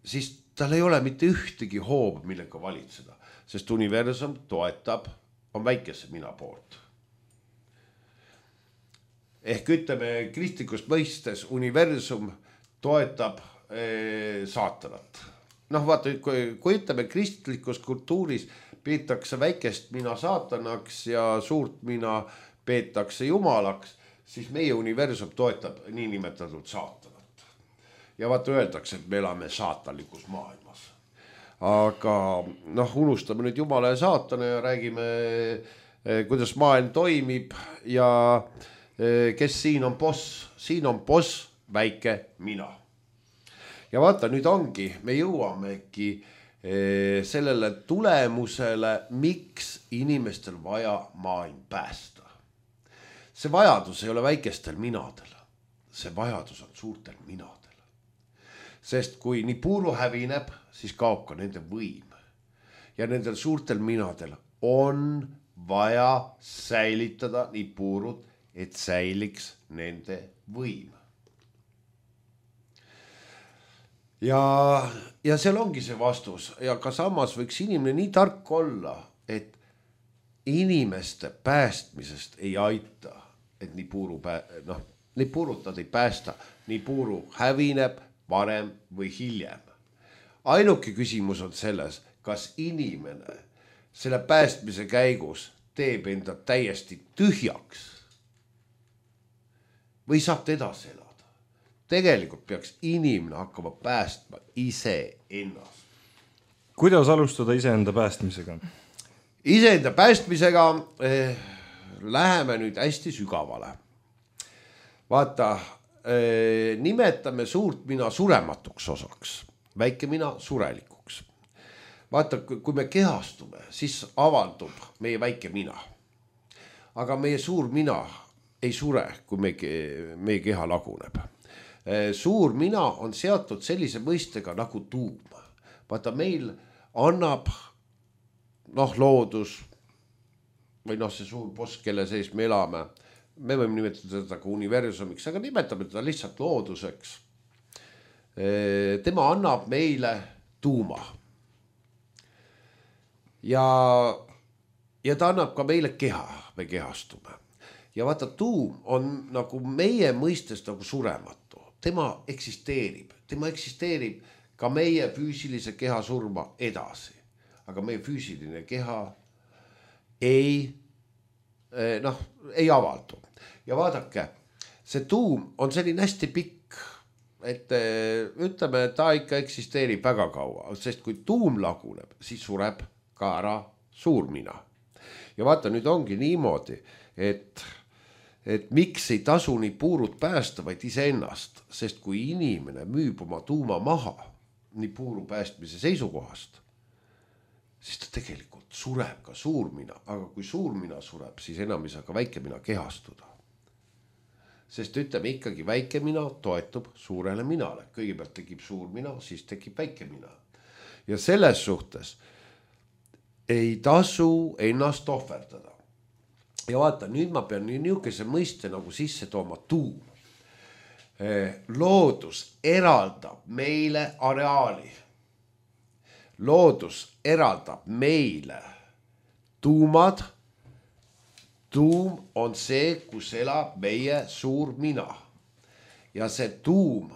siis tal ei ole mitte ühtegi hoob, millega valitseda. Sest universum toetab, on väikese mina poolt. ehk ütleme kristlikust mõistes universum toetab eh, saatanat. Noh, vaata, kui, kui ütleme kristlikus kultuuris peetakse väikest mina saatanaks ja suurt mina peetakse jumalaks, siis meie universum toetab niinimetatud saatanat. Ja vaata öeldakse, et me elame saatanlikus maailmas. Aga noh, unustame nüüd jumala ja saatana ja räägime, kuidas maailm toimib ja kes siin on boss. Siin on boss väike mina. Ja vaata, nüüd ongi, me jõuamegi sellele tulemusele, miks inimestel vaja maailm päästa. See vajadus ei ole väikestel minadel. See vajadus on suurtel minadel. Sest kui nii puuru hävineb, siis kaob ka nende võim. Ja nendel suurtel minadel on vaja säilitada nii puurud, et säiliks nende võim. Ja, ja seal ongi see vastus. Ja ka samas võiks inimene nii tark olla, et inimeste päästmisest ei aita, et nii puuru, pää... noh, nii puurut nad ei päästa, nii puuru hävineb varem või hiljem. Ainuke küsimus on selles, kas inimene selle päästmise käigus teeb enda täiesti tühjaks või saab ta edasi elada. Tegelikult peaks inimene hakkama päästma ise ennast. Kuidas alustada iseenda päästmisega? Iseenda päästmisega eh, läheme nüüd hästi sügavale. Vaata, eh, nimetame suurt mina surematuks osaks, väike mina surelikuks. Vaata, kui me kehastume, siis avaldub meie väike mina. Aga meie suur mina ei sure, kui meie, meie keha laguneb. Suur mina on seatud sellise mõistega nagu tuum. Vaata, meil annab noh, loodus või noh, see suur boss, kelle sees me elame. Me võime nimetada seda ka universumiks, aga nimetame teda lihtsalt looduseks. Tema annab meile tuuma. Ja, ja ta annab ka meile keha, me kehastume. Ja vaata, tuum on nagu meie mõistes nagu surematu. Tema eksisteerib, tema eksisteerib ka meie füüsilise keha surma edasi. Aga meie füüsiline keha ei, noh, ei avaldu. Ja vaadake, see tuum on selline hästi pikk, et ütleme, ta ikka eksisteerib väga kaua, sest kui tuum laguneb, siis sureb ka ära suur mina. Ja vaata, nüüd ongi niimoodi, et et miks ei tasu nii puurut päästa, vaid ise ennast, sest kui inimene müüb oma tuuma maha nii puuru päästmise seisukohast, siis ta tegelikult sureb ka suurmina, aga kui suurmina sureb, siis enam ei saa ka väike mina kehastuda. Sest ütleme ikkagi väike mina toetub suurele minale. Kõigepealt tekib suur mina, siis tekib väike mina. Ja selles suhtes ei tasu ennast ohverdada. Ja vaata, nüüd ma pean niisuguse mõiste nagu sisse tooma tuum. Loodus eraldab meile areaali. Loodus eraldab meile tuumad. Tuum on see, kus elab meie suur mina. Ja see tuum,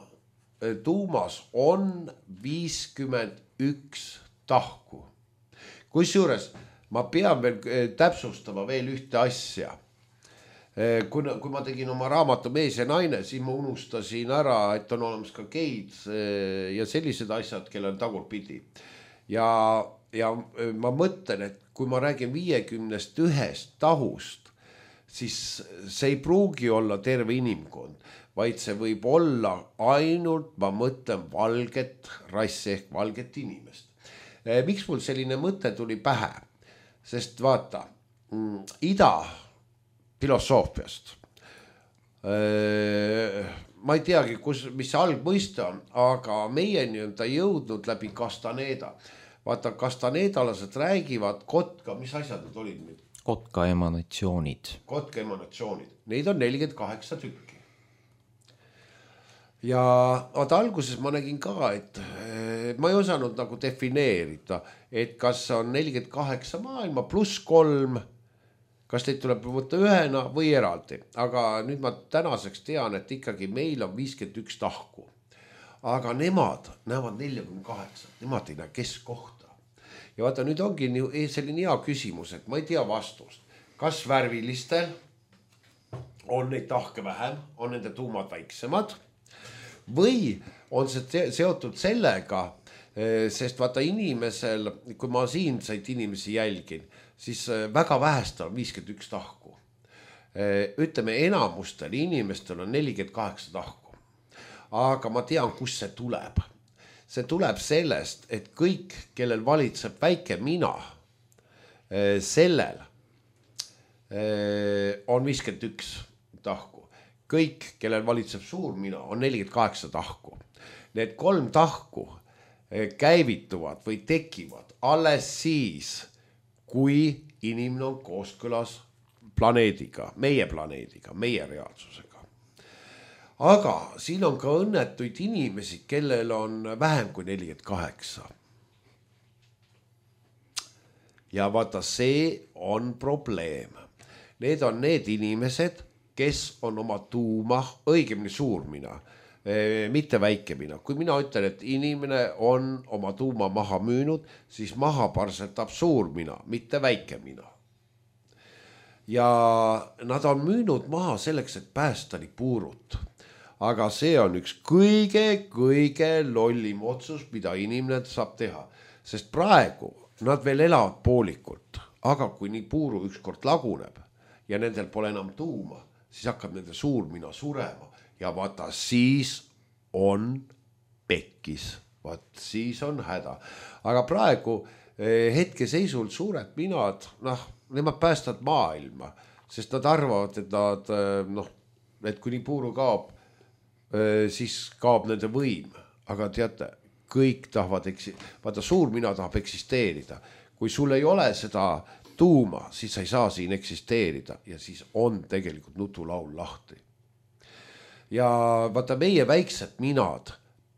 tuumas on viiskümmend üks tahku. Kusjuures ma pean veel täpsustama veel ühte asja. Kui, kui ma tegin oma raamatu Mees ja naine, siis ma unustasin ära, et on olemas ka geid ja sellised asjad, kelle on tagurpidi. Ja, ja ma mõtlen, et kui ma räägin viiekümnest ühest tahust, siis see ei pruugi olla terve inimkond, vaid see võib olla ainult, ma mõtlen, valget rassi ehk valget inimest. Miks mul selline mõte tuli pähe? Sest vaata, ida filosoofiast, ma ei teagi, kus, mis see algmõiste on, aga meieni on ta jõudnud läbi Castaneda. Vaata, Castanedalased räägivad kotka, mis asjad need olid nüüd? Kotka emanatsioonid. Kotka emanatsioonid. Neid on nelikümmend kaheksa tükki. Ja vaata, alguses ma nägin ka, et ma ei osanud nagu defineerida, et kas on nelikümmend kaheksa maailma pluss kolm, kas neid tuleb võtta ühena või eraldi, aga nüüd ma tänaseks tean, et ikkagi meil on viiskümmend üks tahku, aga nemad näevad neljakümne kaheksa, nemad ei näe keskkohta. Ja vaata, nüüd ongi selline hea küsimus, et ma ei tea vastust, kas värvilistel on neid tahke vähem, on nende tuumad väiksemad või on see seotud sellega, sest vaata inimesel, kui ma siinsaid inimesi jälgin, siis väga vähestel on viiskümmend üks tahku. Ütleme, enamustel inimestel on nelikümmend kaheksa tahku. Aga ma tean, kus see tuleb. See tuleb sellest, et kõik, kellel valitseb väike mina, sellel on viiskümmend üks tahku. Kõik, kellel valitseb suur mina, on nelikümmend kaheksa tahku. Need kolm tahku käivituvad või tekivad alles siis, kui inimene on kooskõlas planeediga, meie planeediga, meie reaalsusega. Aga siin on ka õnnetuid inimesi, kellel on vähem kui nelikümmend kaheksa. Ja vaata, see on probleem. Need on need inimesed, kes on oma tuuma, õigemini suur mina, mitte väike mina. Kui mina ütlen, et inimene on oma tuuma maha müünud, siis maha parsetab suur mina, mitte väike mina. Ja nad on müünud maha selleks, et päästa nii puurut. Aga see on üks kõige-kõige lollim otsus, mida inimene saab teha. Sest praegu nad veel elavad poolikult. Aga kui nii puuru ükskord laguneb ja nendel pole enam tuuma, siis hakkab nende suur mina surema. Ja vaata, siis on pekkis, vaat siis on häda. Aga praegu hetke seisult suured minad, noh, nemad päästavad maailma, sest nad arvavad, et nad, noh, et kui nii puuru kaob, siis kaob nende võim. Aga teate, kõik tahavad, vaata, suur mina tahab eksisteerida. Kui sul ei ole seda tuuma, siis sa ei saa siin eksisteerida ja siis on tegelikult nutulaul lahti. Ja vaata, meie väiksed minad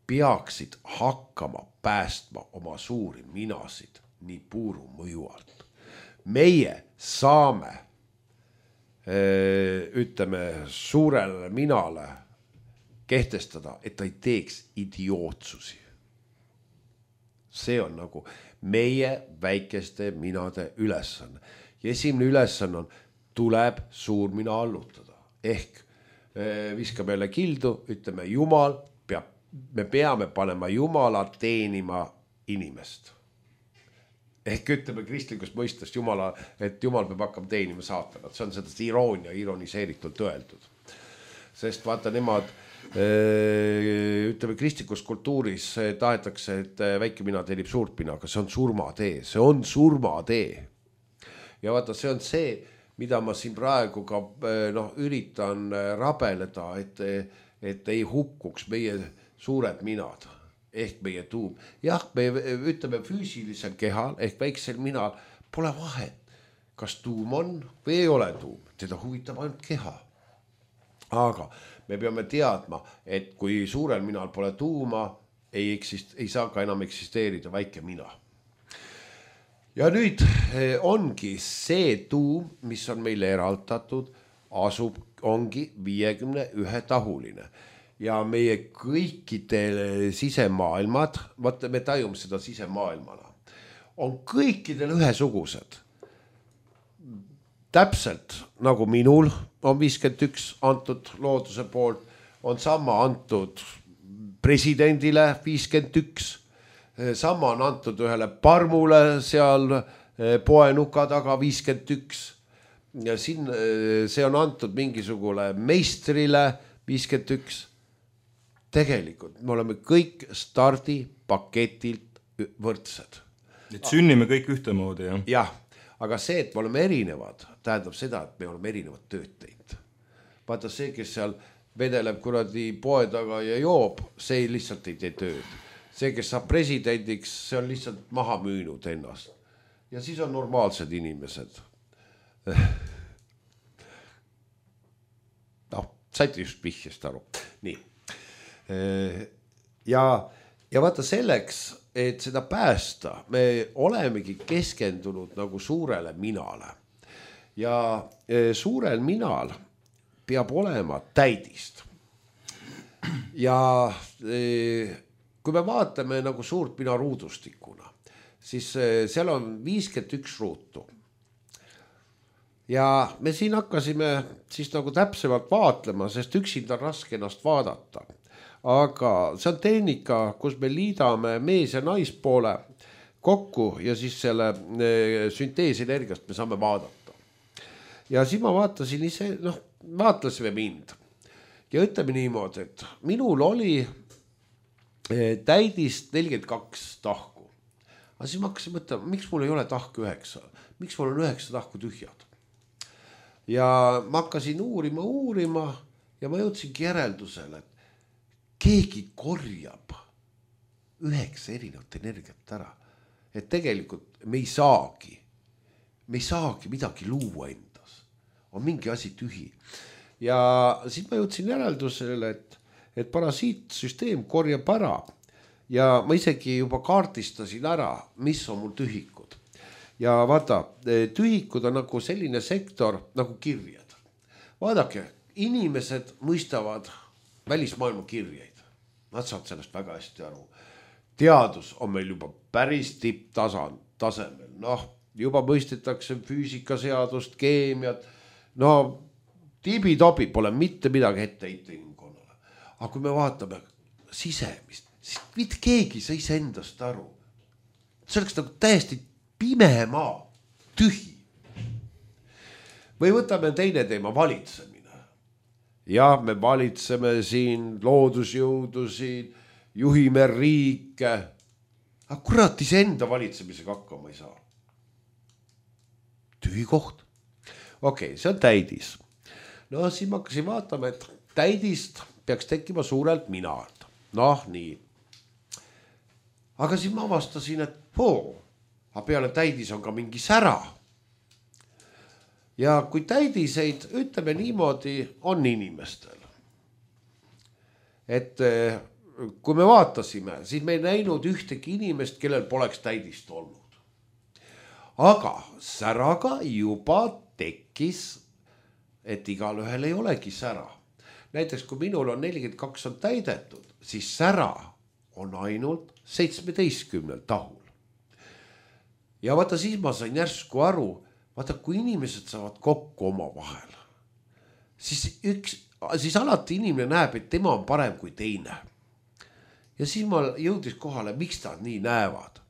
peaksid hakkama päästma oma suuri minasid nii puuru mõju alt. Meie saame, ütleme, suurele minale kehtestada, et ta ei teeks idiootsusi. See on nagu meie väikeste minade ülesanne. Ja esimene ülesanne on, tuleb suur mina allutada. Ehk viskame jälle kildu, ütleme, Jumal peab, me peame panema Jumala teenima inimest. Ehk ütleme kristlikust mõistest Jumala, et Jumal peab hakkama teenima saatanat. See on seda iroonia, ironiseeritult öeldud. Sest vaata, nemad, ütleme, kristlikus kultuuris tahetakse, et väike mina teenib suurt mina, aga see on surmatee, see on surmatee. Ja vaata, see on see, mida ma siin praegu ka noh, üritan rabeleda, et, et ei hukkuks meie suured minad, ehk meie tuum. Jah, me ütleme füüsilisel kehal, ehk väiksel minal pole vahet, kas tuum on või ei ole tuum. Teda huvitab ainult keha. Aga me peame teadma, et kui suurel minal pole tuuma, ei, eksist, ei saa ka enam eksisteerida väike mina. Ja nüüd ongi see tuum, mis on meile eraldatud, asub, ongi viiekümne ühe tahuline. Ja meie kõikidel sisemaailmad, vaata, me tajume seda sisemaailmana, on kõikidel ühesugused. Täpselt nagu minul on viiskümmend üks antud looduse poolt, on sama antud presidendile viiskümmend üks, sama on antud ühele parmule seal poenuka taga viiskümmend üks ja siin see on antud mingisugule meistrile viiskümmend üks. Tegelikult me oleme kõik stardipaketilt võrdsed. Et sünnime kõik ühtemoodi, jah? Jah, aga see, et me oleme erinevad, tähendab seda, et me oleme erinevad tööd teinud. Vaata see, kes seal vedeleb kuradi poe taga ja joob, see lihtsalt ei tee tööd. See, kes saab presidendiks, see on lihtsalt maha müünud ennast. Ja siis on normaalsed inimesed. noh, saite just pihjast aru. Nii. Ja, ja vaata selleks, et seda päästa, me olemegi keskendunud nagu suurele minale. ja suurel minal peab olema täidist. Ja kui me vaatame nagu suurt mina ruudustikuna, siis seal on viiskümmend üks ruutu. Ja me siin hakkasime siis nagu täpsemalt vaatlema, sest üksinda on raske ennast vaadata. Aga see on tehnika, kus me liidame mees- ja naispoole kokku ja siis selle sünteesenergiast me saame vaadata. Ja siis ma vaatasin ise, noh, vaatlasime mind. Ja ütleme niimoodi, et minul oli täidist nelikümmend kaks tahku. Aga siis ma hakkasin mõtlema, miks mul ei ole tahku üheksa? Miks mul on üheksa tahku tühjad? Ja ma hakkasin uurima, uurima ja ma jõudsingi järeldusele, et keegi korjab üheksa erinevat energiat ära. Et tegelikult me ei saagi, me ei saagi midagi luua endas. On mingi asi tühi. Ja siis ma jõudsin järeldusele, et, et parasiitsüsteem korjab ära ja ma isegi juba kaartistasin ära, mis on mul tühikud. Ja vaata, tühikud on nagu selline sektor nagu kirjad. Vaadake, inimesed mõistavad välismaailma kirjeid. Nad saavad sellest väga hästi aru. Teadus on meil juba päris tipptasand, tasemel. Noh, juba mõistetakse füüsikaseadust, keemiat. No, tibi-tobi pole mitte midagi ette heita inimkonnale. Aga kui me vaatame sisemist, siis mitte keegi sa ise endast aru. See oleks nagu täiesti pime maa, tühi. Või võtame teine teema, valitsemine. Ja me valitseme siin loodusjõudusid, juhime riike. Aga kurat, ise enda valitsemisega hakkama ei saa. Tühi koht. Okei, see on täidis. No siis ma hakkasin vaatama, et täidist peaks tekkima suurelt minalt. Noh, nii. Aga siis ma avastasin, et hoo, aga peale täidis on ka mingi sära. Ja kui täidiseid, ütleme niimoodi, on inimestel. Et kui me vaatasime, siis me ei näinud ühtegi inimest, kellel poleks täidist olnud. Aga säraga juba tekkis, et igal ühel ei olegi sära. Näiteks kui minul on nelikümmend kaks on täidetud, siis sära on ainult seitsmeteistkümnel tahul. Ja vaata siis ma sain järsku aru, vaata kui inimesed saavad kokku oma vahel, siis, üks, siis alati inimene näeb, et tema on parem kui teine. Ja siis ma jõudis kohale, miks ta nii näevad.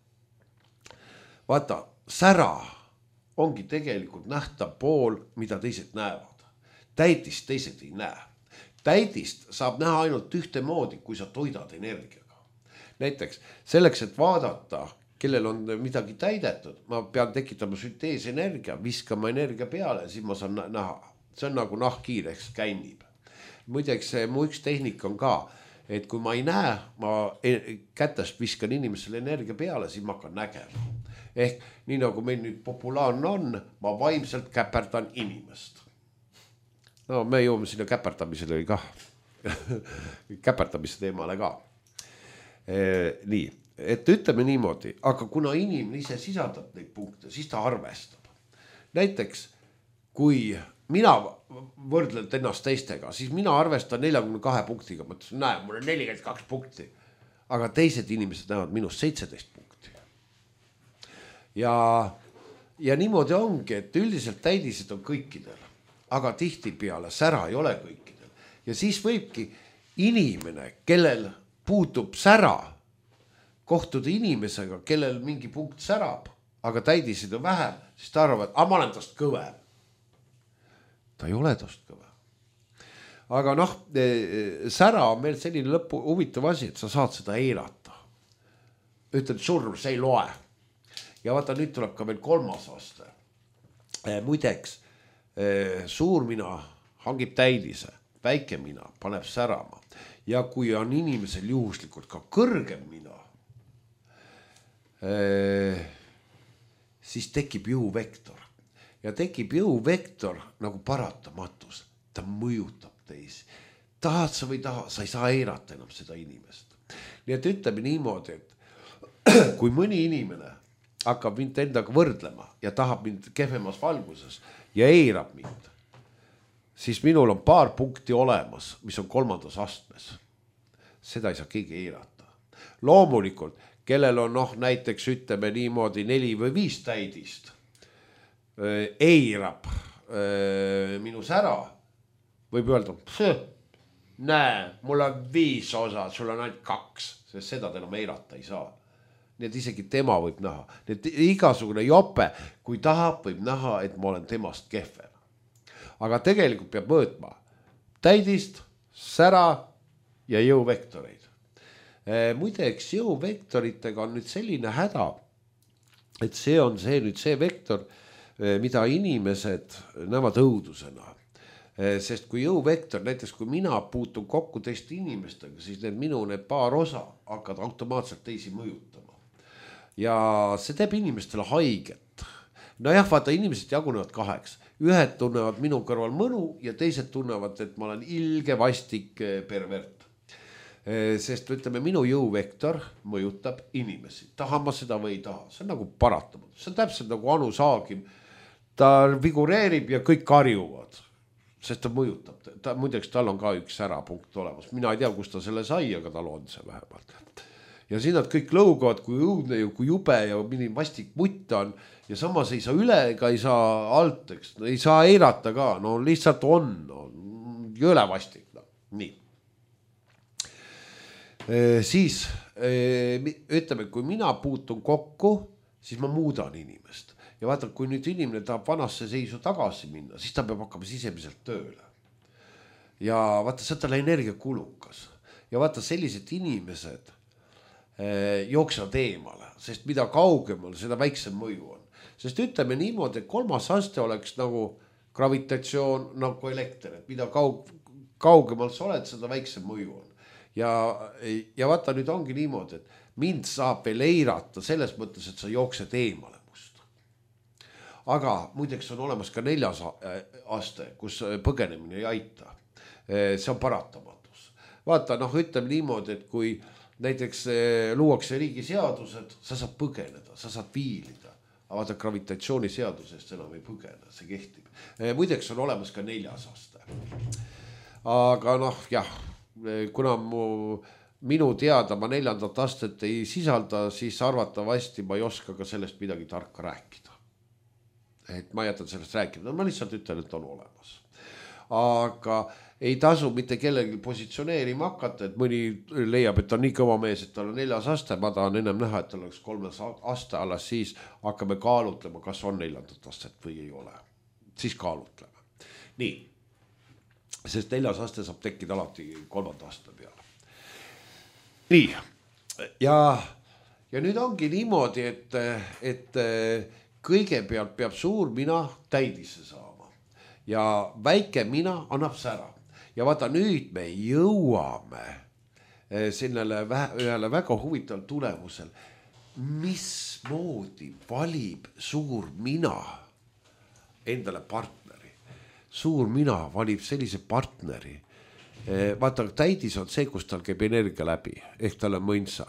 Vaata, sära ongi tegelikult nähtav pool, mida teised näevad. Täidist teised ei näe. Täidist saab näha ainult ühte moodi, kui sa toidad energiaga. Näiteks selleks, et vaadata, kellel on midagi täidetud, ma pean tekitama sünteesenergia, viskama energia peale, siis ma saan näha. See on nagu nahkhiir, eks kännib. Muideks mu üks tehnik on ka, et kui ma ei näe, ma kätest viskan inimesele energia peale, siis ma hakkan nägema. Ehk nii nagu meil nüüd populaarne on, ma vaimselt käperdan inimest. No me jõuame sinna käperdamisele ka. Käperdamise teemale ka. E, nii, et ütleme niimoodi, aga kuna inimene ise sisaldab neid punkte, siis ta arvestab. Näiteks, kui mina võrdlen ennast teistega, siis mina arvestan neljakümne kahe punktiga. Mõtlesin, näe, mul on nelikümmend kaks punkti. Aga teised inimesed näevad minust seitseteist punkti. Ja, ja niimoodi ongi, et üldiselt täidised on kõikidel. Aga tihti peale sära ei ole kõikidel. Ja siis võibki inimene, kellel puutub sära, kohtuda inimesega, kellel mingi punkt särab, aga täidisid on vähem, siis ta arvab, et ah, ma olen tast kõvem. Ta ei ole tast kõvem. Aga noh, sära on meil selline lõpu huvitav asi, et sa saad seda eirata. Ütled, surm, see ei loe. Ja vaata, nüüd tuleb ka veel kolmas aste. Muideks, suurmina hangib täidise, väike mina paneb särama. Ja kui on inimesel juhuslikult ka kõrgem mina, siis tekib jõuvektor. Ja tekib jõuvektor nagu paratamatus. Ta mõjutab teisi. Tahad sa või taha, sa ei saa eirata enam seda inimest. Nii et ütleme niimoodi, et kui mõni inimene hakkab mind endaga võrdlema ja tahab mind kehvemas valguses ja eirab mind, siis minul on paar punkti olemas, mis on kolmandas astmes. Seda ei saa keegi eirata. Loomulikult, kellel on noh, näiteks ütleme niimoodi neli või viis täidist, eirab minu sära, võib öelda, näe, mul on viis osa, sul on ainult kaks, sest seda ta enam eirata ei saa. Nii et isegi tema võib näha, nii et igasugune jope, kui tahab, võib näha, et ma olen temast kehvem. Aga tegelikult peab mõõtma täidist, sära ja jõuvektoreid. Muideks jõuvektoritega on nüüd selline häda, et see on see nüüd see vektor, mida inimesed näevad õudusena. Sest kui jõuvektor, näiteks kui mina puutun kokku teiste inimestega, siis need minu need paar osa hakkavad automaatselt teisi mõjutama. Ja see teeb inimestele haiget. No jah, vaata, inimesed jagunevad kaheks. Ühed tunnevad minu kõrval mõnu ja teised tunnevad, et ma olen ilge vastik pervert. Sest ütleme, minu jõuvektor mõjutab inimesi. Tahan ma seda või ei taha. See on nagu paratamatu. See on täpselt nagu Anu Saagim. Ta figureerib ja kõik karjuvad. Sest ta mõjutab. Ta, muideks tal on ka üks särapunkt olemas. Mina ei tea, kus ta selle sai, aga tal on see vähemalt. Ja siin nad kõik lõugavad, kui õudne ja kui jube ja mini vastik mutt on. Ja samas ei saa üle ega ei saa alt, eks. Ei saa eirata ka. No lihtsalt on. No, jõle vastik. No. Nii. E, siis e, ütleme, kui mina puutun kokku, siis ma muudan inimest. Ja vaata, kui nüüd inimene tahab vanasse seisu tagasi minna, siis ta peab hakkama sisemiselt tööle. Ja vaata, see on talle energia kulukas. Ja vaata, sellised inimesed e, jooksevad eemale, sest mida kaugemal, seda väiksem mõju on. Sest ütleme niimoodi, et kolmas aste oleks nagu gravitatsioon, nagu elekter, et mida kaug, kaugemal sa oled, seda väiksem mõju on. Ja, ja vaata, nüüd ongi niimoodi, et mind saab veel eirata selles mõttes, et sa jooksed eemale must. Aga muideks on olemas ka neljas aste, kus põgenemine ei aita. See on paratamatus. Vaata, noh, ütleme niimoodi, et kui näiteks luuakse riigi seadused, sa saad põgeneda, sa saad viilida. Aga vaata, gravitatsiooniseadusest enam ei põgene, see kehtib. Muideks on olemas ka neljas aste. Aga noh, jah, kuna mu, minu teada ma neljandat astet ei sisalda, siis arvatavasti ma ei oska ka sellest midagi tarka rääkida. Et ma jätan sellest rääkida, ma lihtsalt ütlen, et on olemas. Aga ei tasu mitte kellegi positsioneerima hakata, et mõni leiab, et on nii kõva mees, et tal on neljas aste, ma tahan ennem näha, et tal oleks kolmes aste, alles siis hakkame kaalutlema, kas on neljandat astet või ei ole. Siis kaalutleme. Nii. Sest neljas aste saab tekkida alati kolmanda aste peale. Nii. Ja, ja nüüd ongi niimoodi, et, et kõigepealt peab suur mina täidisse saama. Ja väike mina annab sära. Ja vaata, nüüd me jõuame sellele ühele väga huvitaval tulemusel. Mismoodi valib suur mina endale partneri? Suur mina valib sellise partneri. Vaata, täidis on see, kus tal käib energia läbi, ehk tal on mõnsa.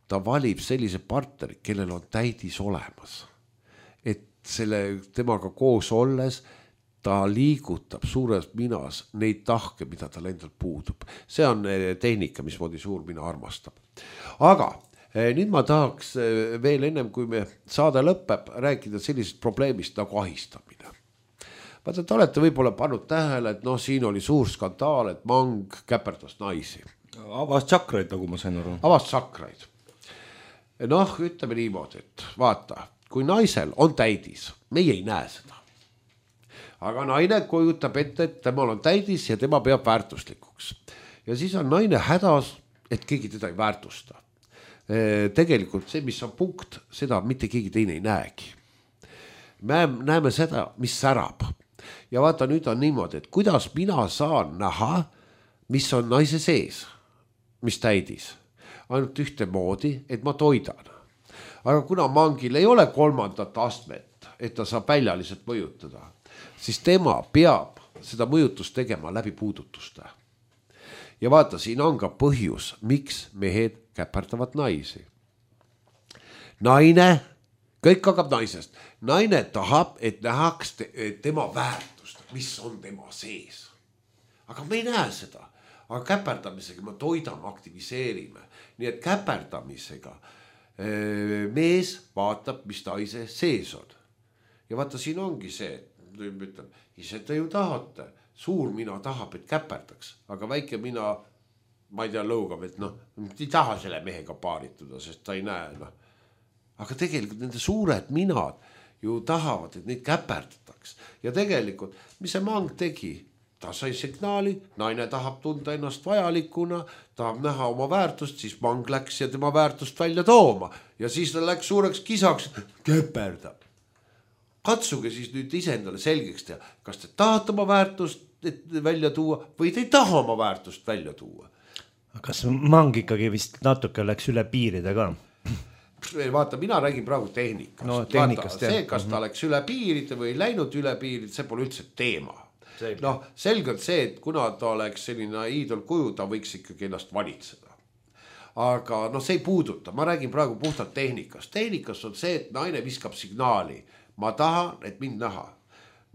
Ta valib sellise partneri, kellel on täidis olemas. Et selle temaga koos olles ta liigutab suures minas neid tahke, mida tal endal puudub. See on tehnika, mismoodi suur mina armastab. Aga nüüd ma tahaks veel ennem, kui me saade lõpeb, rääkida sellisest probleemist nagu ahistamine. Vaata, te olete võib-olla pannud tähele, et noh, siin oli suur skandaal, et Mang käperdas naisi. Avas tsakraid, nagu ma sain aru. Avas tsakraid. Noh, ütleme niimoodi, et vaata, kui naisel on täidis, meie ei näe seda. Aga naine kujutab ette, et temal on täidis ja tema peab väärtuslikuks. Ja siis on naine hädas, et keegi teda ei väärtusta. Tegelikult see, mis on punkt, seda mitte keegi teine ei näegi. Me näeme seda, mis särab. Ja vaata, nüüd on niimoodi, et kuidas mina saan näha, mis on naise sees, mis täidis. Ainult ühte moodi, et ma toidan. Aga kuna Mangil ei ole kolmandat astmet, et ta saab väljaliselt mõjutada, siis tema peab seda mõjutust tegema läbi puudutuste. Ja vaata, siin on ka põhjus, miks mehed käperdavad naisi. Naine kõik hakkab naisest. Naine tahab, et nähaks te, tema väärtust, mis on tema sees. Aga me ei näe seda. Aga käperdamisega me toidame, aktiviseerime. Nii et käperdamisega mees vaatab, mis naise sees on. Ja vaata, siin ongi see, ütlen, ise te ju tahate. Suur mina tahab, et käperdaks. Aga väike mina, ma ei tea, lõugab, et noh, ei taha selle mehega paarituda, sest ta ei näe. No. Aga tegelikult nende suured minad ju tahavad, et neid käperdataks. Ja tegelikult, mis see mang tegi? Ta sai signaali, naine tahab tunda ennast vajalikuna, tahab näha oma väärtust, siis mang läks ja tema väärtust välja tooma. Ja siis ta läks suureks kisaks, käperdab. Katsuge siis nüüd ise endale selgeks teha, kas te tahate oma väärtust välja tuua või te ei taha oma väärtust välja tuua. Kas mang ikkagi vist natuke läks üle piiride ka? Vaata, mina räägin praegu tehnikast. No, tehnikast vaata, see, kas ta läks üle piiride või läinud üle piiride, see pole üldse teema. Noh, selgelt see, et kuna ta oleks selline iidolkuju, ta võiks ikkagi ennast valitseda. Aga noh, see ei puuduta, ma räägin praegu puhtalt tehnikast. Tehnikas on see, et naine viskab signaali. Ma tahan, et mind näha.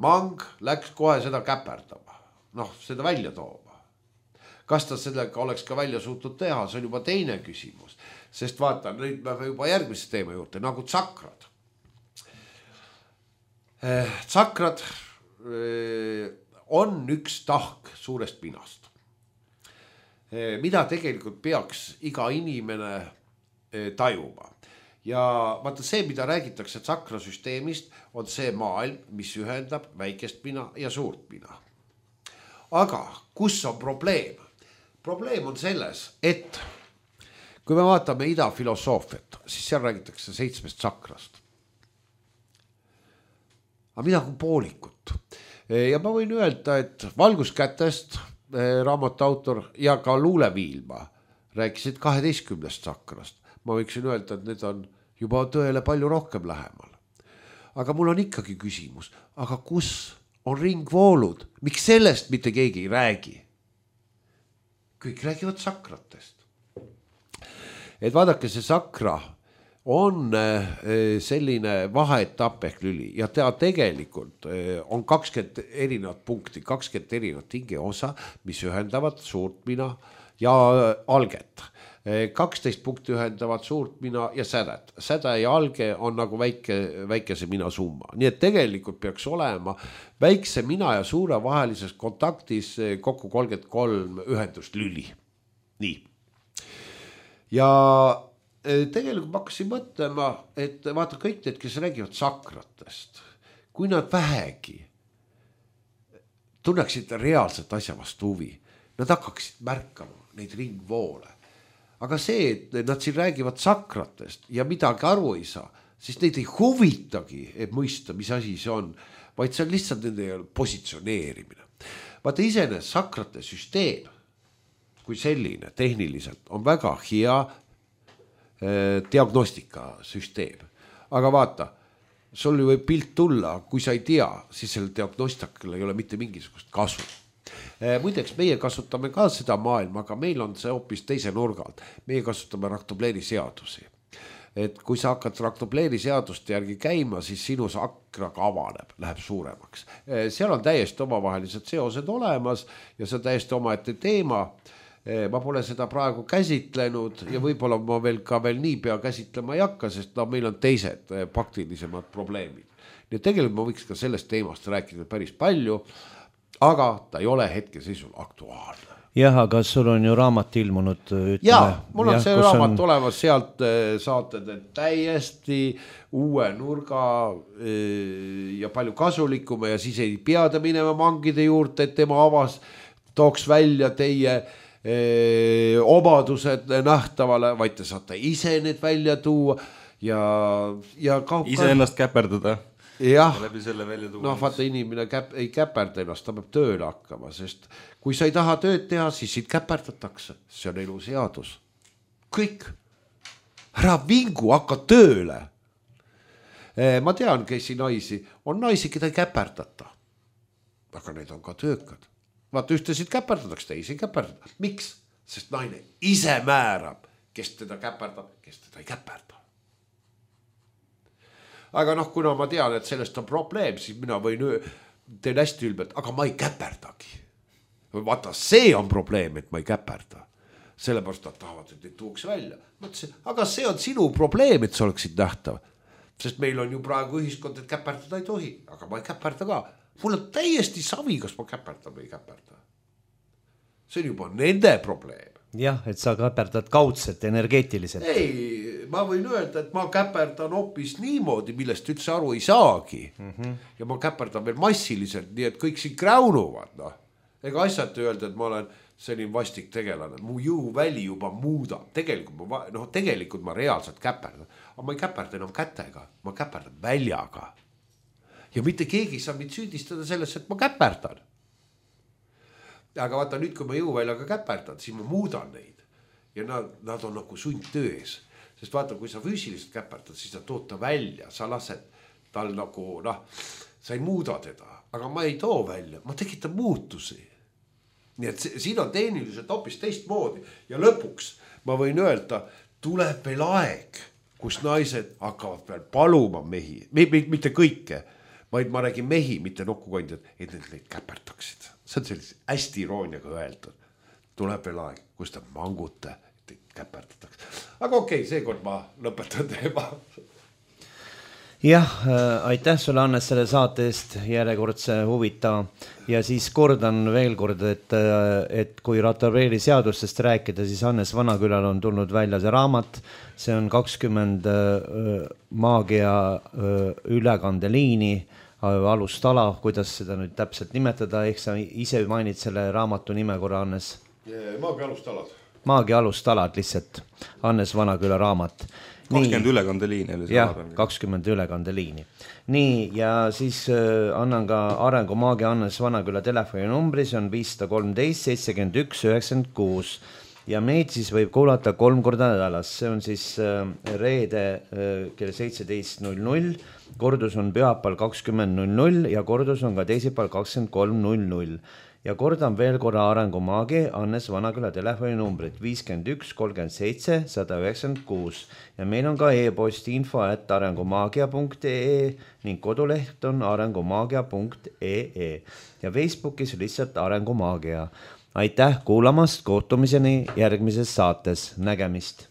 Mang läks kohe seda käperdama. Noh, seda välja tooma. Kas ta sellega oleks ka välja suutnud teha, see on juba teine küsimus. Sest vaata, nüüd me juba järgmise teema juurde, nagu tsakrad. Tsakrad on üks tahk suurest pinast. Mida tegelikult peaks iga inimene tajuma. Ja vaata see, mida räägitakse tsakrasüsteemist, on see maailm, mis ühendab väikest pina ja suurt pina. Aga kus on probleem? Probleem on selles, et kui me vaatame ida filosoofiat, siis seal räägitakse seitsmest tsakrast. Aga mida kui poolikut? Ja ma võin öelda, et Valguskätest raamatu autor ja ka Luuleviilma rääkisid kaheteistkümnest tsakrast. Ma võiksin öelda, et need on juba tõele palju rohkem lähemal. Aga mul on ikkagi küsimus, aga kus on ringvoolud? Miks sellest mitte keegi ei räägi? Kõik räägivad sakratest. Et vaadake, see sakra on selline vaheetapp ehk lüli ja ta tegelikult on kakskümmend erinevat punkti, kakskümmend erinevat hingeosa, mis ühendavad suurt mina ja alget. kaksteist punkti ühendavad suurt mina ja sädet. Säde ja alge on nagu väike, väikese mina summa. Nii et tegelikult peaks olema väikse mina ja suure vahelises kontaktis kokku kolmkümmend kolm ühendust lüli. Nii. Ja tegelikult ma hakkasin mõtlema, et vaata kõik need, kes räägivad sakratest, kui nad vähegi tunneksid reaalselt asja vastu huvi, nad hakkaksid märkama neid ringvoole. Aga see, et nad siin räägivad sakratest ja midagi aru ei saa, siis neid ei huvitagi, et mõista, mis asi see on, vaid see on lihtsalt nende positsioneerimine. Vaata isene sakrate süsteem, kui selline tehniliselt, on väga hea eh, diagnostikasüsteem. Aga vaata, sul võib pilt tulla, kui sa ei tea, siis selle diagnostikal ei ole mitte mingisugust kasu. Muideks, meie kasutame ka seda maailma, aga meil on see hoopis teise nurgalt. Meie kasutame raktobleeri seadusi. Et kui sa hakkad raktobleeri seaduste järgi käima, siis sinu sakraga avaneb, läheb suuremaks. Seal on täiesti omavahelised seosed olemas ja see on täiesti omaette teema. Ma pole seda praegu käsitlenud ja võib-olla ma veel ka veel nii pea käsitlema ei hakka, sest no, meil on teised praktilisemad probleemid. Nii et tegelikult ma võiks ka sellest teemast rääkida päris palju, aga ta ei ole hetkeseisul aktuaalne. Jah, aga sul on ju raamat ilmunud. Ütleme, ja, mul on jah, see raamat on... olemas, sealt saate te täiesti uue nurga ja palju kasulikuma ja siis ei peada minema mangide juurde, et tema avas tooks välja teie eh, obadused nähtavale, vaid te saate ise need välja tuua ja, ja ka... ise ennast käperdada. Jah, no vaata inimene käp, ei käperda ennast, ta peab tööle hakkama, sest kui sa ei taha tööd teha, siis siit käperdatakse. See on elu seadus. Kõik. Ära vingu, hakka tööle. Ma tean, kes naisi, on naisi, keda ei käperdata. Aga need on ka töökad. Vaata, ühtesid käperdatakse, teisi ei käperdata. Miks? Sest naine ise määrab, kes teda käperdab, kes teda ei käperda. aga noh, kuna ma tean, et sellest on probleem, siis mina võin, teen hästi ülbelt, aga ma ei käperdagi. Vaata, see on probleem, et ma ei käperda. Sellepärast nad tahavad, et neid tuuks välja. Mõtlesin, aga see on sinu probleem, et sa oleksid nähtav. Sest meil on ju praegu ühiskond, et käperdada ei tohi, aga ma ei käperda ka. Mul on täiesti savi, kas ma käperda või ei käperda. See on juba nende probleem. Jah, et sa käperdad kaudselt, energeetiliselt. Ei, ma võin öelda, et ma käperdan hoopis niimoodi, millest üldse aru ei saagi. Mm-hmm. Ja ma käperdan veel massiliselt, nii et kõik siin kräunuvad. No. Ega asjad öelda, et ma olen selline vastik tegelane. Mu jõuväli juba muudab. Tegelikult ma, no, tegelikult ma reaalselt käperdan. Aga ma ei käperda enam kätega, ma käperdan väljaga. Ja mitte keegi ei saa mind süüdistada selles, et ma käperdan. Aga vaata nüüd, kui ma jõuväljaga käperdan, siis ma muudan neid. Ja nad, nad on nagu sundtöös. Sest vaata, kui sa füüsiliselt käperdad, siis sa tood ta välja. Sa lased tal nagu, noh, sa ei muuda teda. Aga ma ei too välja, ma tekitan muutusi. Nii et siin on tehniliselt hoopis teistmoodi. Ja lõpuks ma võin öelda, tuleb veel aeg, kus naised hakkavad veel paluma mehi. Mitte kõike, vaid ma räägin mehi, mitte nokkukondjad, et need neid käperdaksid. See on sellise hästi irooniaga öeldud. Tuleb veel aeg, kus ta mangute, et neid käperdatakse. Aga okei, seekord ma lõpetan teema. Jah, aitäh sulle, Hannes, selle saate eest järjekordse huvitava. Ja siis kordan veel kord, et, et kui Ratabreeli seadustest rääkida, siis Hannes Vanakülal on tulnud välja see raamat. See on kakskümmend maagia ülekandeliini, alustala, kuidas seda nüüd täpselt nimetada, ehk sa ise mainid selle raamatu nime korra, Hannes? Maagia alustalad. Maagia alustalad lihtsalt, Hannes Vanaküla raamat. kakskümmend ülekandeliini. Jah, kakskümmend ülekandeliini. Nii, ja siis äh, annan ka Arengumaagia Hannes Vanaküla telefoninumbri, see on viis kolmteist seitsekümmend üks üheksakümmend kuus. Ja meid siis võib kuulata kolm korda nädalas. See on siis äh, reede äh, kell seitseteist null null, kordus on pühapäeval kakskümmend null null ja kordus on ka teisipäeval kakskümmend kolm null null. Ja kordan veel korra Arengumaagi Hannes Vanaküla telefoninumbrit viiskümmend üks kolmkümmend seitse sada üheksakümmend kuus. Ja meil on ka e-post info at arengumaagia punkt ee ning koduleht on arengumaagia punkt ee ja Facebookis lihtsalt Arengumaagia. Aitäh kuulamast, kohtumiseni järgmises saates, nägemist!